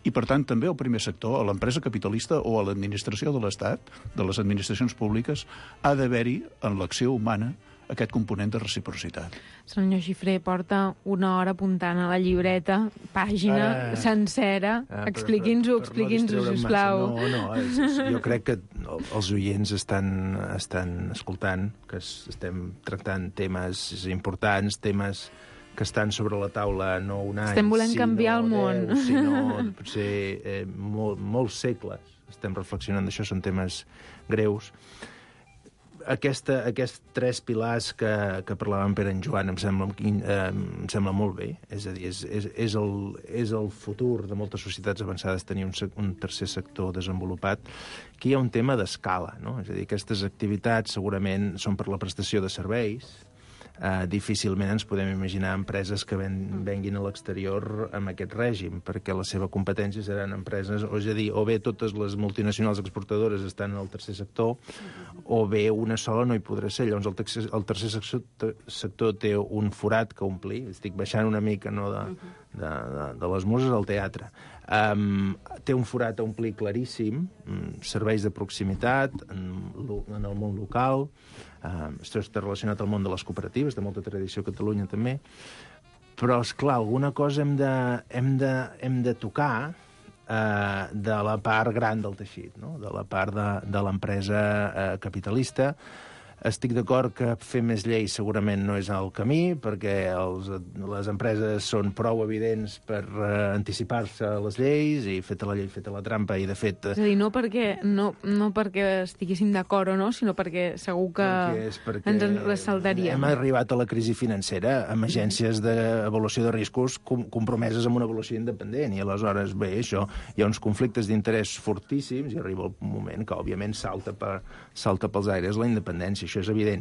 i, per tant, també al primer sector, a l'empresa capitalista o a l'administració de l'Estat, de les administracions públiques, ha d'haver-hi en l'acció humana aquest component de reciprocitat.
Senyor Xifré, porta una hora apuntant a la llibreta, pàgina ah, sencera. Ah, expliqui'ns-ho, expliqui'ns-ho, sisplau.
No, no, és, és, jo crec que els oients estan, estan escoltant, que estem tractant temes importants, temes que estan sobre la taula no un any,
estem volent canviar el món.
deu, sinó potser eh, molt, molts segles. Estem reflexionant d'això, són temes greus. Aquesta, aquests tres pilars que, que parlaven Pere en Joan em sembla, eh, em sembla molt bé. És a dir, és, és, és, el, és el futur de moltes societats avançades tenir un, un tercer sector desenvolupat. Aquí hi ha un tema d'escala, no? És a dir, aquestes activitats segurament són per la prestació de serveis. Uh, difícilment ens podem imaginar empreses que ven, venguin a l'exterior amb aquest règim, perquè la seva competència seran empreses, o és a dir, o bé totes les multinacionals exportadores estan en el tercer sector, o bé una sola no hi podrà ser. Llavors el tercer, el tercer sector, sector té un forat que omplir. Estic baixant una mica, no, de, de, de, de les muses al teatre. Um, té un forat a omplir claríssim, um, serveis de proximitat en, en el món local. Uh, això està relacionat al món de les cooperatives, de molta tradició a Catalunya també, però, esclar, alguna cosa hem de, hem de, hem de tocar uh, de la part gran del teixit, no? De la part de, de l'empresa uh, capitalista. Estic d'acord que fer més lleis segurament no és el camí, perquè els, les empreses són prou evidents per uh, anticipar-se a les lleis, i feta la llei, feta la trampa, i de fet...
És a dir, no perquè, no, no perquè estiguéssim d'acord o no, sinó perquè segur que perquè ens en ressaltaríem.
Hem arribat a la crisi financera amb agències d'avaluació de riscos com, compromeses amb una avaluació independent, i aleshores, bé, això, hi ha uns conflictes d'interès fortíssims, i arriba el moment que, òbviament, salta, per, salta pels aires la independència. Això és evident.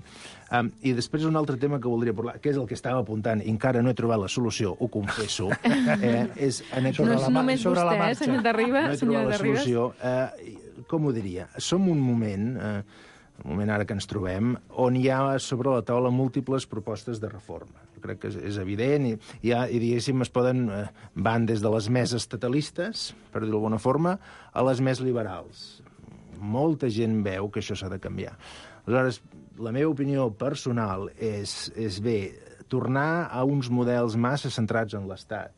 Um, I després un altre tema que voldria parlar, que és el que estava apuntant, i encara no he trobat la solució, ho confesso. Eh, és en
aquest... No és només
sobre
vostè, eh, senyor Terribas?
No he trobat la solució. Eh, com ho diria? Som un moment, eh, un moment ara que ens trobem, on hi ha sobre la taula múltiples propostes de reforma. Jo crec que és, és evident, i, i, ha, i diguéssim, es poden, eh, van des de les més estatalistes, per dir-ho d'alguna forma, a les més liberals. Molta gent veu que això s'ha de canviar. Aleshores, la meva opinió personal és, és bé, tornar a uns models massa centrats en l'Estat,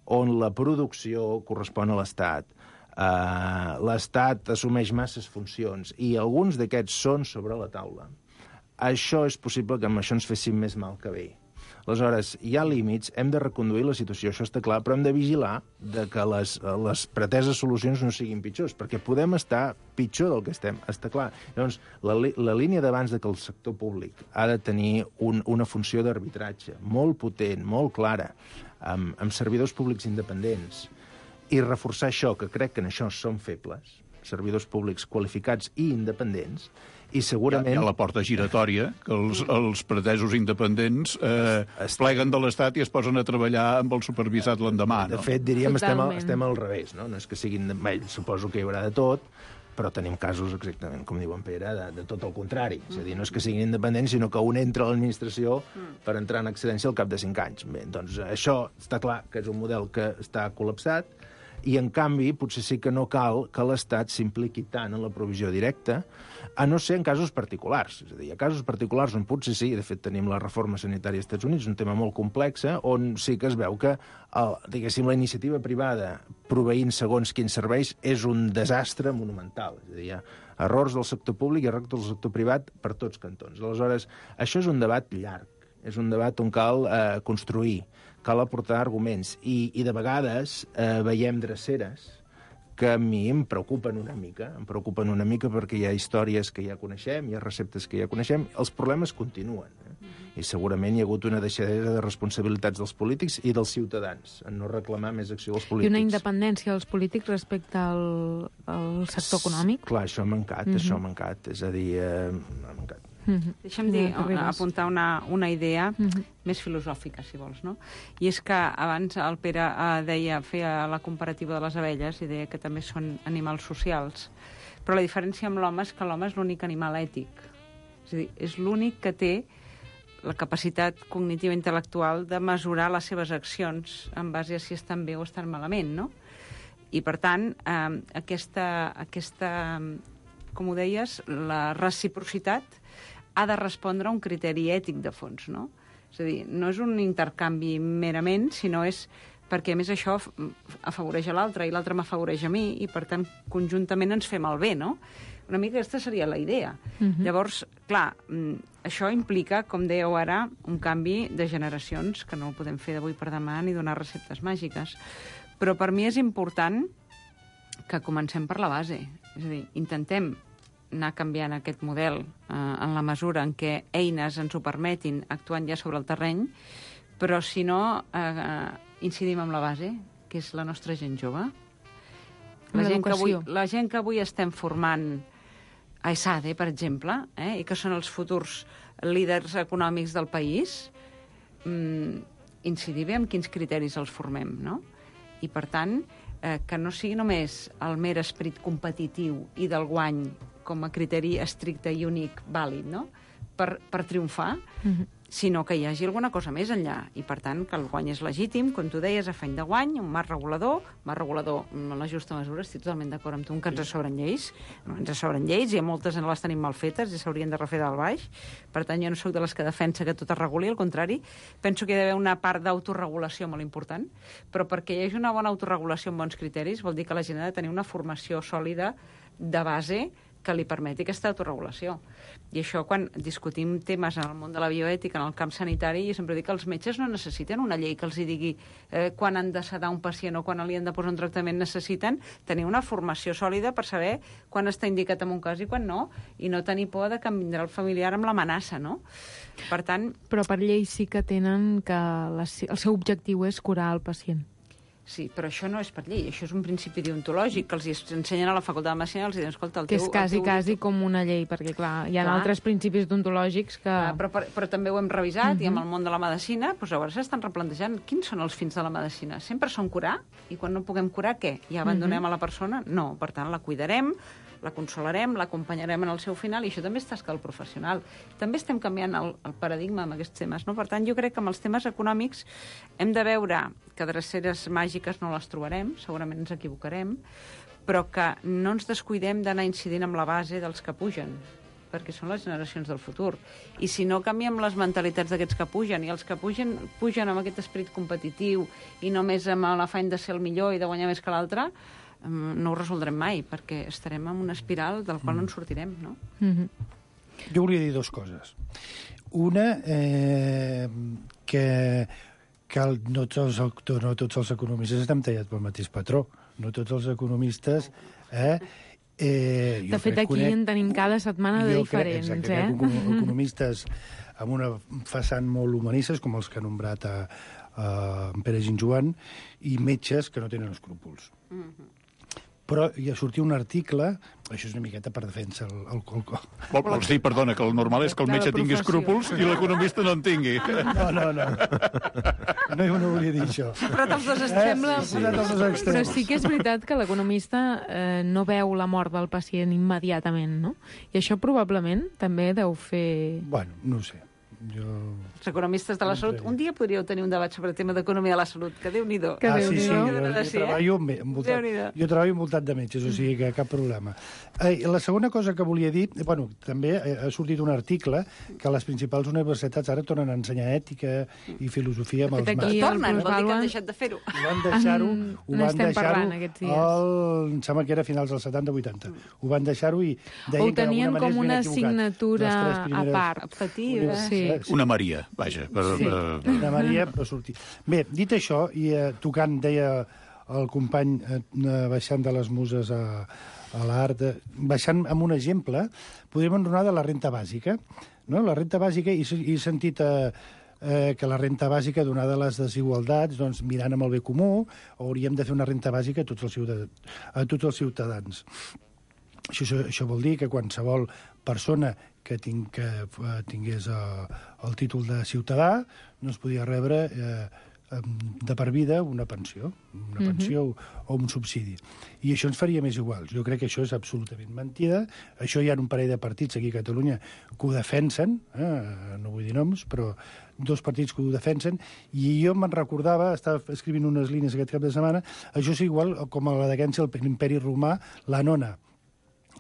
on la producció correspon a l'Estat. Uh, L'Estat assumeix masses funcions i alguns d'aquests són sobre la taula. Això és possible que amb això ens féssim més mal que bé. Aleshores, hi ha límits, hem de reconduir la situació, això està clar, però hem de vigilar de que les, les preteses solucions no siguin pitjors, perquè podem estar pitjor del que estem, està clar. Llavors, la, la línia d'abans de que el sector públic ha de tenir un, una funció d'arbitratge molt potent, molt clara, amb, amb servidors públics independents, i reforçar això, que crec que en això som febles, servidors públics qualificats i independents, i segurament...
Hi ha, hi ha la porta giratòria, que els, els pretesos independents eh, es pleguen de l'Estat i es posen a treballar amb el supervisat l'endemà, no?
De fet, diríem, estem al, estem al revés, no? No és que siguin... Bé, suposo que hi haurà de tot, però tenim casos exactament, com diu en Pere, de, de tot el contrari. És a dir, no és que siguin independents, sinó que un entra a l'administració per entrar en excedència al cap de cinc anys. Bé, doncs això està clar que és un model que està col·lapsat, i, en canvi, potser sí que no cal que l'Estat s'impliqui tant en la provisió directa, a no ser en casos particulars. És a dir, hi ha casos particulars on potser sí, de fet tenim la reforma sanitària als Estats Units, un tema molt complex, on sí que es veu que, el, diguéssim, la iniciativa privada proveint segons quins serveis és un desastre monumental. És a dir, hi ha errors del sector públic i errors del sector privat per tots cantons. Aleshores, això és un debat llarg, és un debat on cal eh, construir, cal aportar arguments, i, i de vegades eh, veiem dreceres que a mi em preocupen una mica, em preocupen una mica perquè hi ha històries que ja coneixem, hi ha receptes que ja coneixem, els problemes continuen. Eh? I segurament hi ha hagut una deixadesa de responsabilitats dels polítics i dels ciutadans en no reclamar més acció dels polítics.
I una independència dels polítics respecte al, al sector econòmic?
Clar, això ha mancat, mm-hmm. això ha mancat. És a dir, eh, ha mancat.
Mm-hmm. Deixa'm dir, apuntar una, una idea mm-hmm. més filosòfica, si vols, no? I és que abans el Pere eh, deia, feia la comparativa de les abelles i deia que també són animals socials, però la diferència amb l'home és que l'home és l'únic animal ètic. És a dir, és l'únic que té la capacitat cognitiva intel·lectual de mesurar les seves accions en base a si estan bé o estan malament, no? I, per tant, eh, aquesta, aquesta, com ho deies, la reciprocitat ha de respondre a un criteri ètic de fons, no? És a dir, no és un intercanvi merament, sinó és perquè, a més, això afavoreix a l'altre i l'altre m'afavoreix a mi i, per tant, conjuntament ens fem el bé, no? Una mica aquesta seria la idea. Mm-hmm. Llavors, clar, això implica, com dèieu ara, un canvi de generacions, que no el podem fer d'avui per demà ni donar receptes màgiques. Però per mi és important que comencem per la base. És a dir, intentem anar canviant aquest model eh, en la mesura en què eines ens ho permetin, actuant ja sobre el terreny, però si no, eh, incidim en la base, que és la nostra gent jove. La gent, que avui, la gent que avui estem formant a ESADE, per exemple, eh, i que són els futurs líders econòmics del país, mm, incidir bé en quins criteris els formem, no? I, per tant, eh, que no sigui només el mer esperit competitiu i del guany com a criteri estricte i únic vàlid, no?, per, per triomfar, mm-hmm. sinó que hi hagi alguna cosa més enllà. I, per tant, que el guany és legítim, com tu deies, afany de guany, un marc regulador, marc regulador en la justa mesura, estic totalment d'acord amb tu, que ens sobren lleis, no, ens sobren lleis, i a moltes en les tenim mal fetes i s'haurien de refer del baix. Per tant, jo no sóc de les que defensa que tot es reguli, al contrari, penso que hi ha d'haver una part d'autoregulació molt important, però perquè hi hagi una bona autoregulació amb bons criteris vol dir que la gent ha de tenir una formació sòlida de base que li permeti aquesta autorregulació. I això, quan discutim temes en el món de la bioètica, en el camp sanitari, jo sempre dic que els metges no necessiten una llei que els hi digui eh, quan han de sedar un pacient o quan li han de posar un tractament. Necessiten tenir una formació sòlida per saber quan està indicat en un cas i quan no, i no tenir por de que em vindrà el familiar amb l'amenaça, no? Per tant...
Però per llei sí que tenen que la, el seu objectiu és curar el pacient.
Sí, però això no és per llei, això és un principi deontològic que els ensenyen a la facultat de medicina i els diuen, escolta, el teu...
Que és quasi, teu... quasi com una llei, perquè, clar, hi ha clar. altres principis deontològics que... Clar,
però, però, però també ho hem revisat, uh-huh. i amb el món de la medicina, doncs llavors s'estan replantejant quins són els fins de la medicina. Sempre són curar, i quan no puguem curar, què? Ja abandonem uh-huh. a la persona? No, per tant, la cuidarem, la consolarem, l'acompanyarem en el seu final, i això també és tasca del professional. També estem canviant el, el paradigma amb aquests temes, no? Per tant, jo crec que amb els temes econòmics hem de veure que dreceres màgiques no les trobarem, segurament ens equivocarem, però que no ens descuidem d'anar incidint amb la base dels que pugen, perquè són les generacions del futur. I si no canviem les mentalitats d'aquests que pugen, i els que pugen, pugen amb aquest esperit competitiu i només amb l'afany de ser el millor i de guanyar més que l'altre, no ho resoldrem mai, perquè estarem en una espiral del qual no en sortirem, no?
Mm-hmm.
Jo volia dir dues coses. Una, eh, que, que el, no, tots els, no tots els economistes estem tallats pel mateix patró. No tots els economistes... Eh, eh,
de fet, aquí conec, en tenim cada setmana de diferents.
Crec, exacte,
eh?
Crec economistes amb una façana molt humanistes, com els que ha nombrat a, a Pere Ginjoan, i metges que no tenen escrúpols. Mm-hmm. Però hi ha sortit un article, això és una miqueta per defensar el, el, el...
Vol, vols dir, perdona, que el normal és que el metge tingui escrúpols i l'economista no en tingui.
No, no, no. No, jo no volia dir això.
Però els dos extrems.
Eh? Sí, sí.
Però sí que és veritat que l'economista eh, no veu la mort del pacient immediatament, no? I això probablement també deu fer...
Bueno, no ho sé. Jo...
Els economistes de la salut, un dia podríeu tenir un debat sobre el tema d'economia de la salut, que Déu-n'hi-do.
Que ah, sí, sí, jo, jo,
sí,
treballo,
eh?
envoltat, jo treballo envoltat de metges, o sigui que cap problema. Eh, la segona cosa que volia dir, bueno, també ha sortit un article que les principals universitats ara tornen a ensenyar ètica i filosofia amb els
màsters. Tornen, vol dir que han deixat de fer-ho.
Ho van deixar-ho, ho van deixar-ho, em sembla que era a finals dels setanta vuitanta. Ho van deixar-ho i deien que d'alguna manera
com una assignatura a part.
Optativa.
Sí.
Una Maria, vaja. Per,
sí, per... una Maria per sortir. Bé, dit això, i eh, tocant, deia el company, eh, baixant de les muses a, a l'art, eh, baixant amb un exemple, podríem enronar de la renta bàsica. No? La renta bàsica, i he sentit eh, eh, que la renta bàsica, donada les desigualtats, doncs, mirant amb el bé comú, hauríem de fer una renta bàsica a tots els ciutadans. A tots els ciutadans. Això, això vol dir que qualsevol persona que, ting, que uh, tingués uh, el títol de ciutadà no es podia rebre uh, de per vida una pensió, una mm-hmm. pensió o, o un subsidi. I això ens faria més iguals. Jo crec que això és absolutament mentida. Això hi ha un parell de partits aquí a Catalunya que ho defensen, eh? No vull dir noms, però dos partits que ho defensen, i jo me'n recordava, estava escrivint unes línies aquest cap de setmana, això és igual com a la decadència de l'imperi romà, la nona,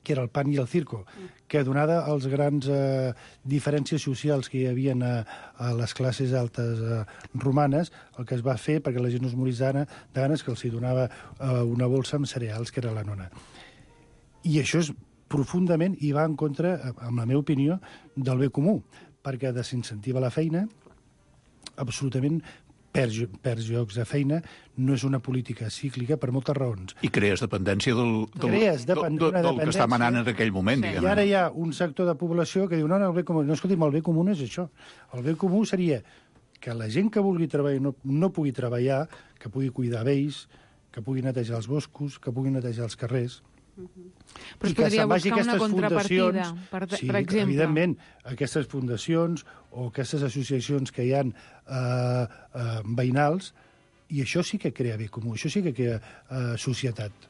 que era el pan i el circo, que donada als grans eh, diferències socials que hi havia a, a les classes altes eh, romanes, el que es va fer, perquè la gent no es morís de ganes, que els hi donava eh, una bolsa amb cereals, que era la nona. I això és profundament, i va en contra, amb la meva opinió, del bé comú, perquè desincentiva la feina, absolutament perds, perds llocs de feina, no és una política cíclica per moltes raons.
I crees dependència del, del,
crees depend
del, del, del que està manant en aquell moment, sí. Diguem.
I ara hi ha un sector de població que diu, no, no, el bé comú, no, escolti'm, el bé comú no és això. El bé comú seria que la gent que vulgui treballar no, no pugui treballar, que pugui cuidar vells, que pugui netejar els boscos, que pugui netejar els carrers.
Uh-huh. Però es podria buscar una contrapartida, per,
sí,
per exemple.
Evidentment, aquestes fundacions o aquestes associacions que hi ha eh, eh, veïnals, i això sí que crea bé comú, això sí que crea eh, societat.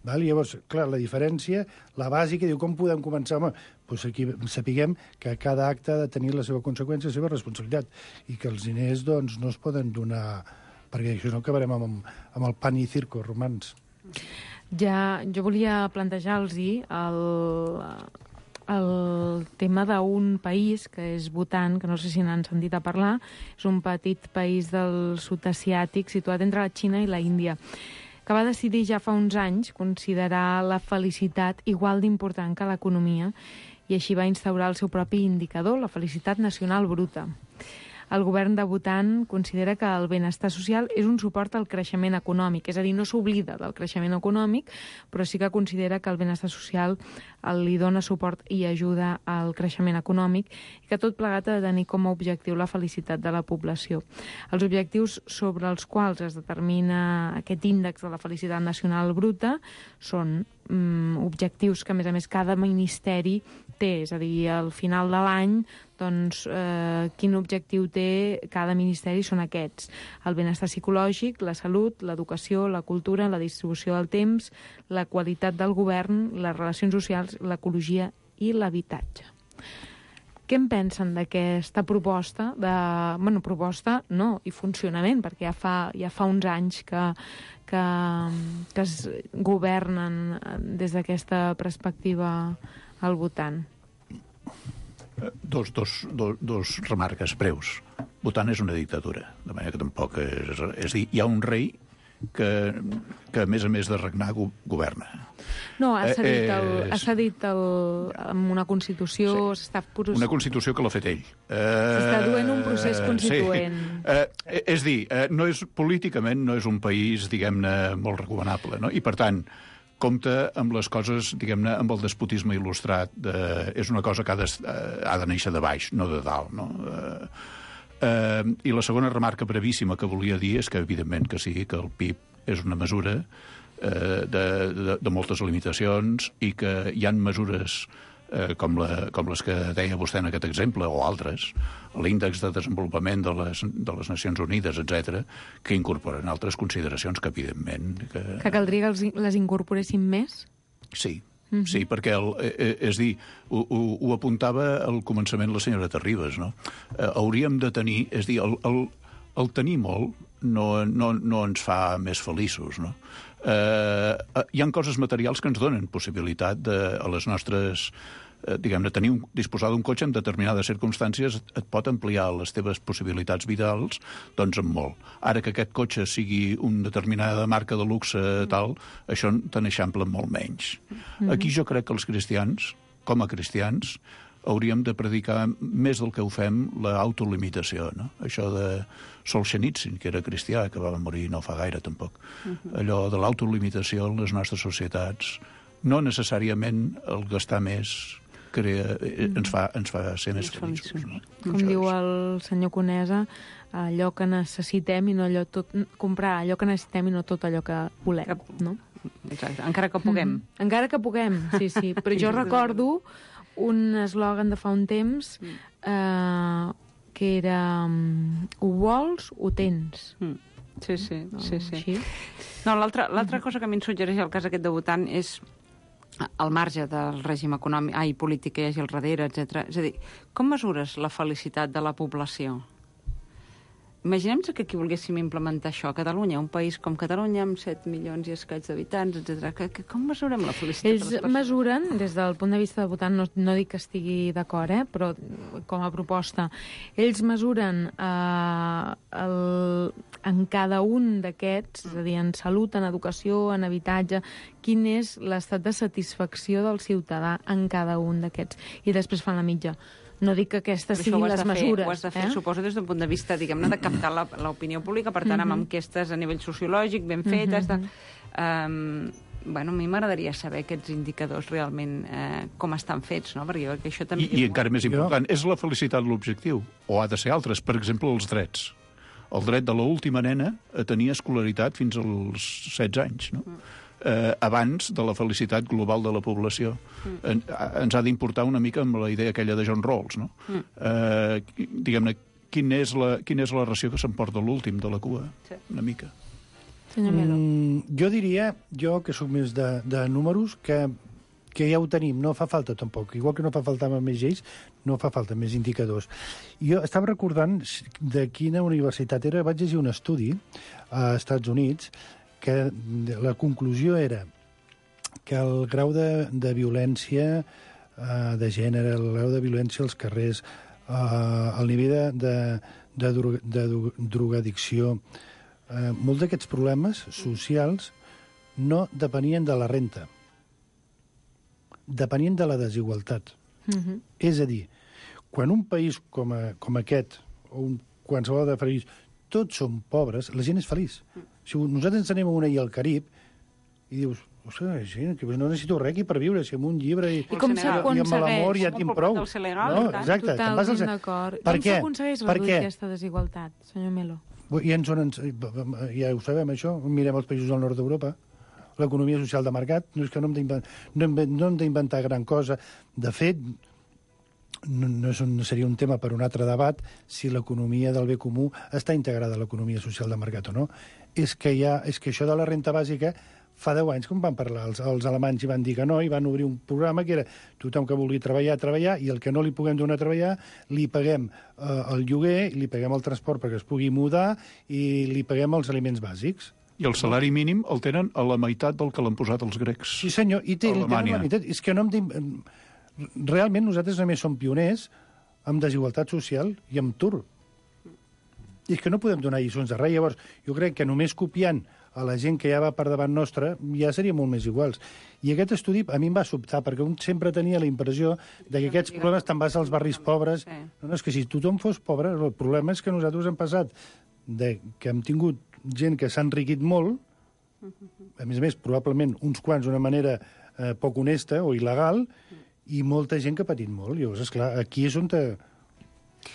Val? Llavors, clar, la diferència, la bàsica, diu, com podem començar? Home, doncs aquí sapiguem que cada acte ha de tenir la seva conseqüència, la seva responsabilitat, i que els diners doncs, no es poden donar, perquè això no acabarem amb, amb el pan i circo romans.
Ja, jo volia plantejar-los el, el tema d'un país que és Bhutan, que no sé si n'han sentit a parlar, és un petit país del sud asiàtic situat entre la Xina i la Índia, que va decidir ja fa uns anys considerar la felicitat igual d'important que l'economia, i així va instaurar el seu propi indicador, la felicitat nacional bruta. El govern de Bhutan considera que el benestar social és un suport al creixement econòmic, és a dir, no s'oblida del creixement econòmic, però sí que considera que el benestar social li dona suport i ajuda al creixement econòmic, i que tot plegat ha de tenir com a objectiu la felicitat de la població. Els objectius sobre els quals es determina aquest índex de la felicitat nacional bruta són mm, objectius que, a més a més, cada ministeri té, és a dir, al final de l'any, doncs, eh, quin objectiu té cada ministeri són aquests. El benestar psicològic, la salut, l'educació, la cultura, la distribució del temps, la qualitat del govern, les relacions socials, l'ecologia i l'habitatge. Què en pensen d'aquesta proposta? De, bueno, proposta no, i funcionament, perquè ja fa, ja fa uns anys que, que, que es governen des d'aquesta perspectiva al Bhutan.
Dos, dos, dos, dos remarques breus. Bhutan és una dictadura, de manera que tampoc és... És dir, hi ha un rei que, que a més a més de regnar, go governa.
No, ha cedit, el,
eh,
ha cedit el, amb una Constitució... Sí, s'està...
Una Constitució que l'ha fet ell.
S'està duent un procés constituent.
Sí. Eh, és dir, eh, no és, políticament no és un país, diguem-ne, molt recomanable, no? I, per tant, compta amb les coses, diguem-ne, amb el despotisme il·lustrat. De, és una cosa que ha de, ha de néixer de baix, no de dalt, no? Eh, eh, I la segona remarca brevíssima que volia dir és que, evidentment, que sí, que el P I B és una mesura eh, de, de, de moltes limitacions i que hi han mesures eh, com, la, com les que deia vostè en aquest exemple, o altres, l'índex de desenvolupament de les, de les Nacions Unides, etcètera, que incorporen altres consideracions que, evidentment... Que,
que caldria que els, les incorporéssim més?
Sí, mm-hmm. sí, perquè, el, eh, és dir, ho, ho, ho apuntava al començament la senyora Terribas, no? Eh, hauríem de tenir, és dir, el, el, el tenir molt no, no, no ens fa més feliços, no? Eh, hi ha coses materials que ens donen possibilitat de, a les nostres... Eh, diguem-ne, tenir un, disposar d'un cotxe en determinades circumstàncies et pot ampliar les teves possibilitats vitals, doncs en molt. Ara que aquest cotxe sigui una determinada marca de luxe tal, això te n'eixampla molt menys. Mm-hmm. Aquí jo crec que els cristians, com a cristians, hauríem de predicar més del que ho fem l'autolimitació, no? Això de Solzhenitsyn, que era cristià, que va morir no fa gaire tampoc. Uh-huh. Allò de l'autolimitació en les nostres societats, no necessàriament el gastar més crea, ens, fa, ens fa ser més feliços. No?
Com això diu el senyor Conesa, allò que necessitem i no allò tot... comprar allò que necessitem i no tot allò que volem, no?
Exacte, encara que puguem.
Mm-hmm. Encara que puguem, sí, sí. Però jo recordo un eslògan de fa un temps eh, que era ho vols, ho tens.
Mm. Sí, sí,
no,
sí, sí.
Així.
No, l'altra l'altra cosa que a mi em suggereix el cas aquest de Bhutan és al marge del règim econòmic, ai, polític que hi hagi al darrere, etcètera. És a dir, com mesures la felicitat de la població? Imaginem-nos que aquí volguéssim implementar això a Catalunya, un país com Catalunya, amb set milions i escaig d'habitants, etcètera. Que, que, com mesurem la felicitat
Ells
de les persones?
mesuren, des del punt de vista de Bhutan, no, no dic que estigui d'acord, eh, però com a proposta, ells mesuren eh, el, en cada un d'aquests, és a dir, en salut, en educació, en habitatge, quin és l'estat de satisfacció del ciutadà en cada un d'aquests. I després fan la mitja. No dic que aquestes siguin les mesures.
Ho has de fer,
eh?
suposo, des d'un punt de vista, diguem-ne, de captar l'opinió pública, per tant, amb enquestes a nivell sociològic ben fetes. De... Um, bueno, a mi m'agradaria saber aquests indicadors realment eh, com estan fets, no? Perquè jo crec que això també...
I, i encara més important, és la felicitat l'objectiu? O ha de ser altres? Per exemple, els drets. El dret de l'última nena a tenir escolaritat fins als setze anys, no? Mm. Eh, abans de la felicitat global de la població. Mm. En, ens ha d'importar una mica amb la idea aquella de John Rawls, no? Mm. Eh, diguem-ne, quina és la, quina és la ració que s'emporta l'últim de la cua? Sí. Una mica.
Senyor Melo.
Mm, jo diria, jo que soc més de, de números, que, que ja ho tenim, no fa falta tampoc. Igual que no fa falta més lleis, no fa falta més indicadors. Jo estava recordant de quina universitat era, vaig llegir un estudi a Estats Units que la conclusió era que el grau de, de violència eh, de gènere, el grau de violència als carrers, eh, el nivell de, de, de, de drogadicció, eh, molts d'aquests problemes socials no depenien de la renta, depenien de la desigualtat. Mm-hmm. És a dir, quan un país com, a, com aquest, o un, qualsevol de país, tots són pobres, la gent és feliç. Si nosaltres ens anem a una illa al Carib i dius, ostres, que no necessito res aquí per viure, si amb un llibre i,
I, com i,
i amb l'amor ja tinc prou.
No,
exacte.
Totalment d'acord. Com s'aconsegueix reduir aquesta desigualtat, senyor Melo?
I ens, ja ho sabem, això. Mirem els països del nord d'Europa. L'economia social de mercat, no és que no hem d'inventar no hem d'inventar gran cosa. De fet, no, no, és un, no seria un tema per un altre debat si l'economia del bé comú està integrada a l'economia social de mercat o no. És que, ha, és que això de la renta bàsica fa deu anys, com van parlar els, els alemanys i van dir que no, i van obrir un programa que era tothom que vulgui treballar, treballar, i el que no li puguem donar a treballar, li paguem eh, el lloguer, li paguem el transport perquè es pugui mudar i li paguem els aliments bàsics.
I el salari mínim el tenen a la meitat del que l'han posat els grecs.
Sí, senyor, i té, tenen la meitat. És que no hem de... Realment nosaltres només som pioners amb desigualtat social i amb tur. I és que no podem donar lliçons de res. Llavors, jo crec que només copiant a la gent que ja va per davant nostra ja seria molt més iguals. I aquest estudi a mi em va sobtar, perquè un sempre tenia la impressió de que aquests problemes te'n vas als barris pobres. No, no, és que si tothom fos pobre, el problema és que nosaltres hem passat de que hem tingut gent que s'ha enriquit molt, a més a més, probablement uns quants d'una manera eh, poc honesta o il·legal, i molta gent que ha patit molt. Llavors, esclar, aquí és on te...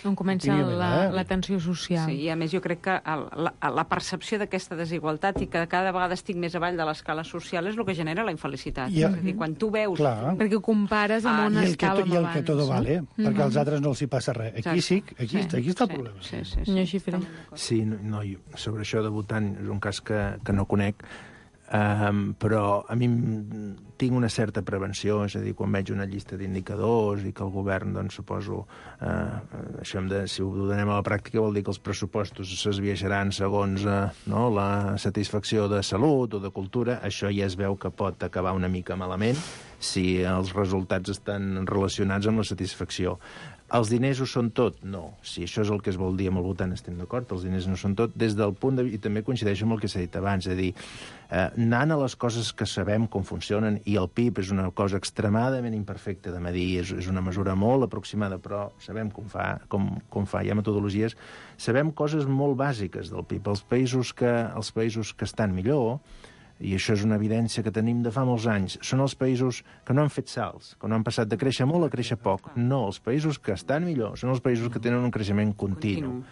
On comença la, la tensió social.
Sí, i a més jo crec que el, la, la percepció d'aquesta desigualtat i que cada vegada estic més avall de l'escala social és el que genera la infelicitat.
I,
és a dir, quan tu veus...
Clar.
Perquè ho compares amb
ah,
on estàvem abans.
I el que tot vale, no? Perquè als altres no els hi passa res. Aquí sí, aquí, sí, aquí està el problema.
Sí, sí, sí, sí.
Sí, no, no, sobre això de votant és un cas que, que no conec, um, però a mi tinc una certa prevenció, és a dir, quan veig una llista d'indicadors i que el govern, doncs, suposo, eh, això hem de, si ho donem a la pràctica vol dir que els pressupostos s'esbiaixaran segons eh, no, la satisfacció de salut o de cultura, això ja es veu que pot acabar una mica malament si els resultats estan relacionats amb la satisfacció. Els diners ho són tot? No. Si això és el que es vol dir amb el votant, estem d'acord, els diners no són tot, des del punt de vista, i també coincideixo amb el que s'ha dit abans, és a dir, eh, anant a les coses que sabem com funcionen, i el P I B és una cosa extremadament imperfecta de medir, és, és una mesura molt aproximada, però sabem com fa, com, com fa, hi ha metodologies, sabem coses molt bàsiques del P I B. Els països que, els països que estan millor, i això és una evidència que tenim de fa molts anys, són els països que no han fet salts, que no han passat de créixer molt a créixer poc. No, els països que estan millor són els països que tenen un creixement continu.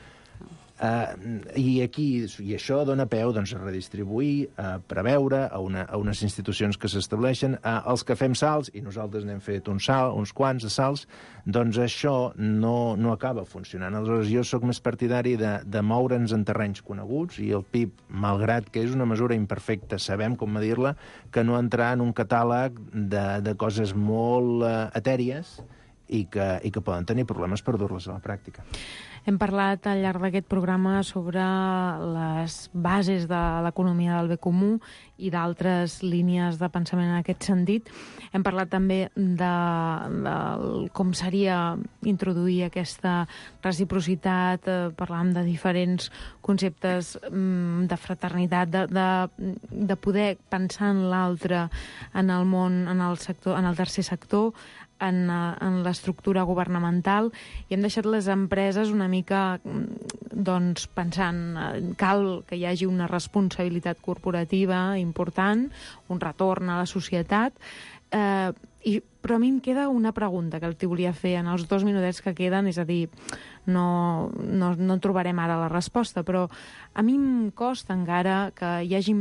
Uh, i aquí, i això dona peu doncs, a redistribuir, a preveure, a, una, a unes institucions que s'estableixen, a els que fem salts, i nosaltres n'hem fet un salt, uns quants de salts, doncs això no, no acaba funcionant. Aleshores, jo sóc més partidari de, de moure'ns en terrenys coneguts, i el P I B, malgrat que és una mesura imperfecta, sabem com medir-la, que no entrar en un catàleg de, de coses molt uh, etèries i que, i que poden tenir problemes per dur-les a la pràctica.
Hem parlat al llarg d'aquest programa sobre les bases de l'economia del bé comú i d'altres línies de pensament en aquest sentit. Hem parlat també de, de com seria introduir aquesta reciprocitat, eh, parlàvem de diferents conceptes mm, de fraternitat, de, de, de poder pensar en l'altre, en el món, en el sector, en el tercer sector, en, en l'estructura governamental, i hem deixat les empreses una mica doncs, pensant cal que hi hagi una responsabilitat corporativa important, un retorn a la societat, eh, i, però a mi em queda una pregunta que t'hi volia fer en els dos minutets que queden, és a dir, no, no, no trobarem ara la resposta, però a mi em costa encara que hi hagi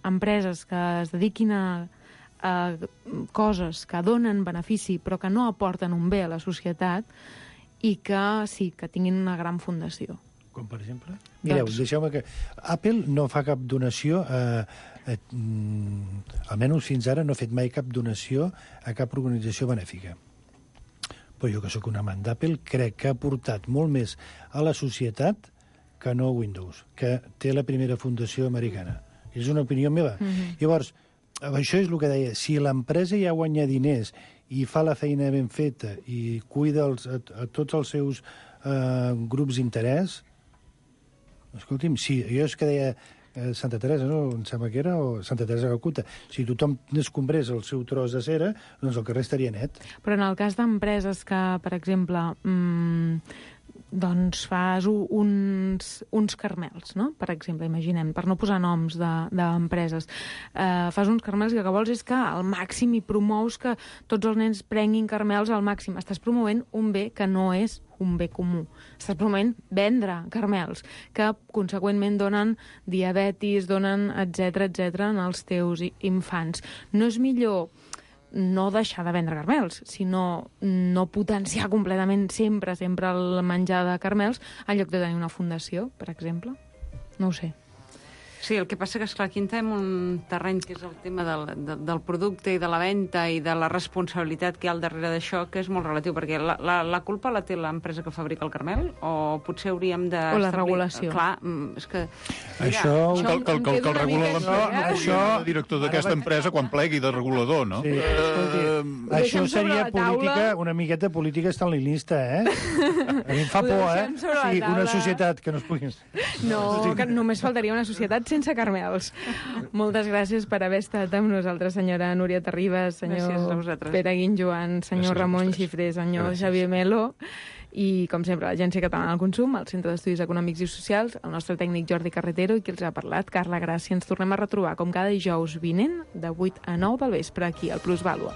empreses que es dediquin a Uh, coses que donen benefici però que no aporten un bé a la societat i que sí, que tinguin una gran fundació.
Com per exemple? Mireu, doncs... deixeu-me que... Apple no fa cap donació, eh, eh, mm, almenys fins ara no ha fet mai cap donació a cap organització benèfica. Però jo, que sóc un amant d'Apple, crec que ha aportat molt més a la societat que no Windows, que té la primera fundació americana. És una opinió meva. Mm-hmm. Llavors, això és el que deia, si l'empresa ja guanya diners i fa la feina ben feta i cuida els, a, a tots els seus eh, grups d'interès, escolti'm, sí, jo és que deia eh, Santa Teresa, no? Em sembla que era, o Santa Teresa de Calcuta, si tothom descombrés el seu tros de cera, doncs el carrer estaria net.
Però en el cas d'empreses que, per exemple, mmm, doncs fas uns, uns carmels, no? Per exemple, imaginem, per no posar noms d'empreses, de, eh, fas uns carmels i el que vols és que al màxim hi promous que tots els nens prenguin carmels al màxim. Estàs promovent un bé que no és un bé comú. Estàs promovent vendre carmels, que conseqüentment donen diabetis, donen etcètera, etcètera en els teus infants. No és millor no deixar de vendre carmels, sinó no potenciar completament sempre, sempre el menjar de carmels en lloc de tenir una fundació, per exemple? No ho sé.
Sí, el que passa que, esclar, aquí entrem un terreny que és el tema del, de, del producte i de la venda i de la responsabilitat que hi ha al darrere d'això, que és molt relatiu, perquè la, la, la culpa la té l'empresa que fabrica el caramel, o potser hauríem de...
O la regulació.
Clar, és que... Mira,
això...
Que, que, que, que el regula
no, això...
el director d'aquesta empresa quan plegui de regulador, no?
Sí, escolti,
uh,
això seria política, una miqueta política estalinista, eh? A mi em fa por, eh? Sí, una societat que no es pugui...
No, que només faltaria una societat sense carmels. Moltes gràcies per haver estat amb nosaltres, senyora Núria Terribas, senyor Pere Guinjoan, senyor gràcies Ramon Xifré, senyor gràcies. Xavier Melo, i, com sempre, l'Agència Catalana del Consum, el Centre d'Estudis Econòmics i Socials, el nostre tècnic Jordi Carretero i qui els ha parlat, Carla Gràcia. Ens tornem a retrobar, com cada dijous vinent, de vuit a nou del vespre, aquí, al Plusvàlua.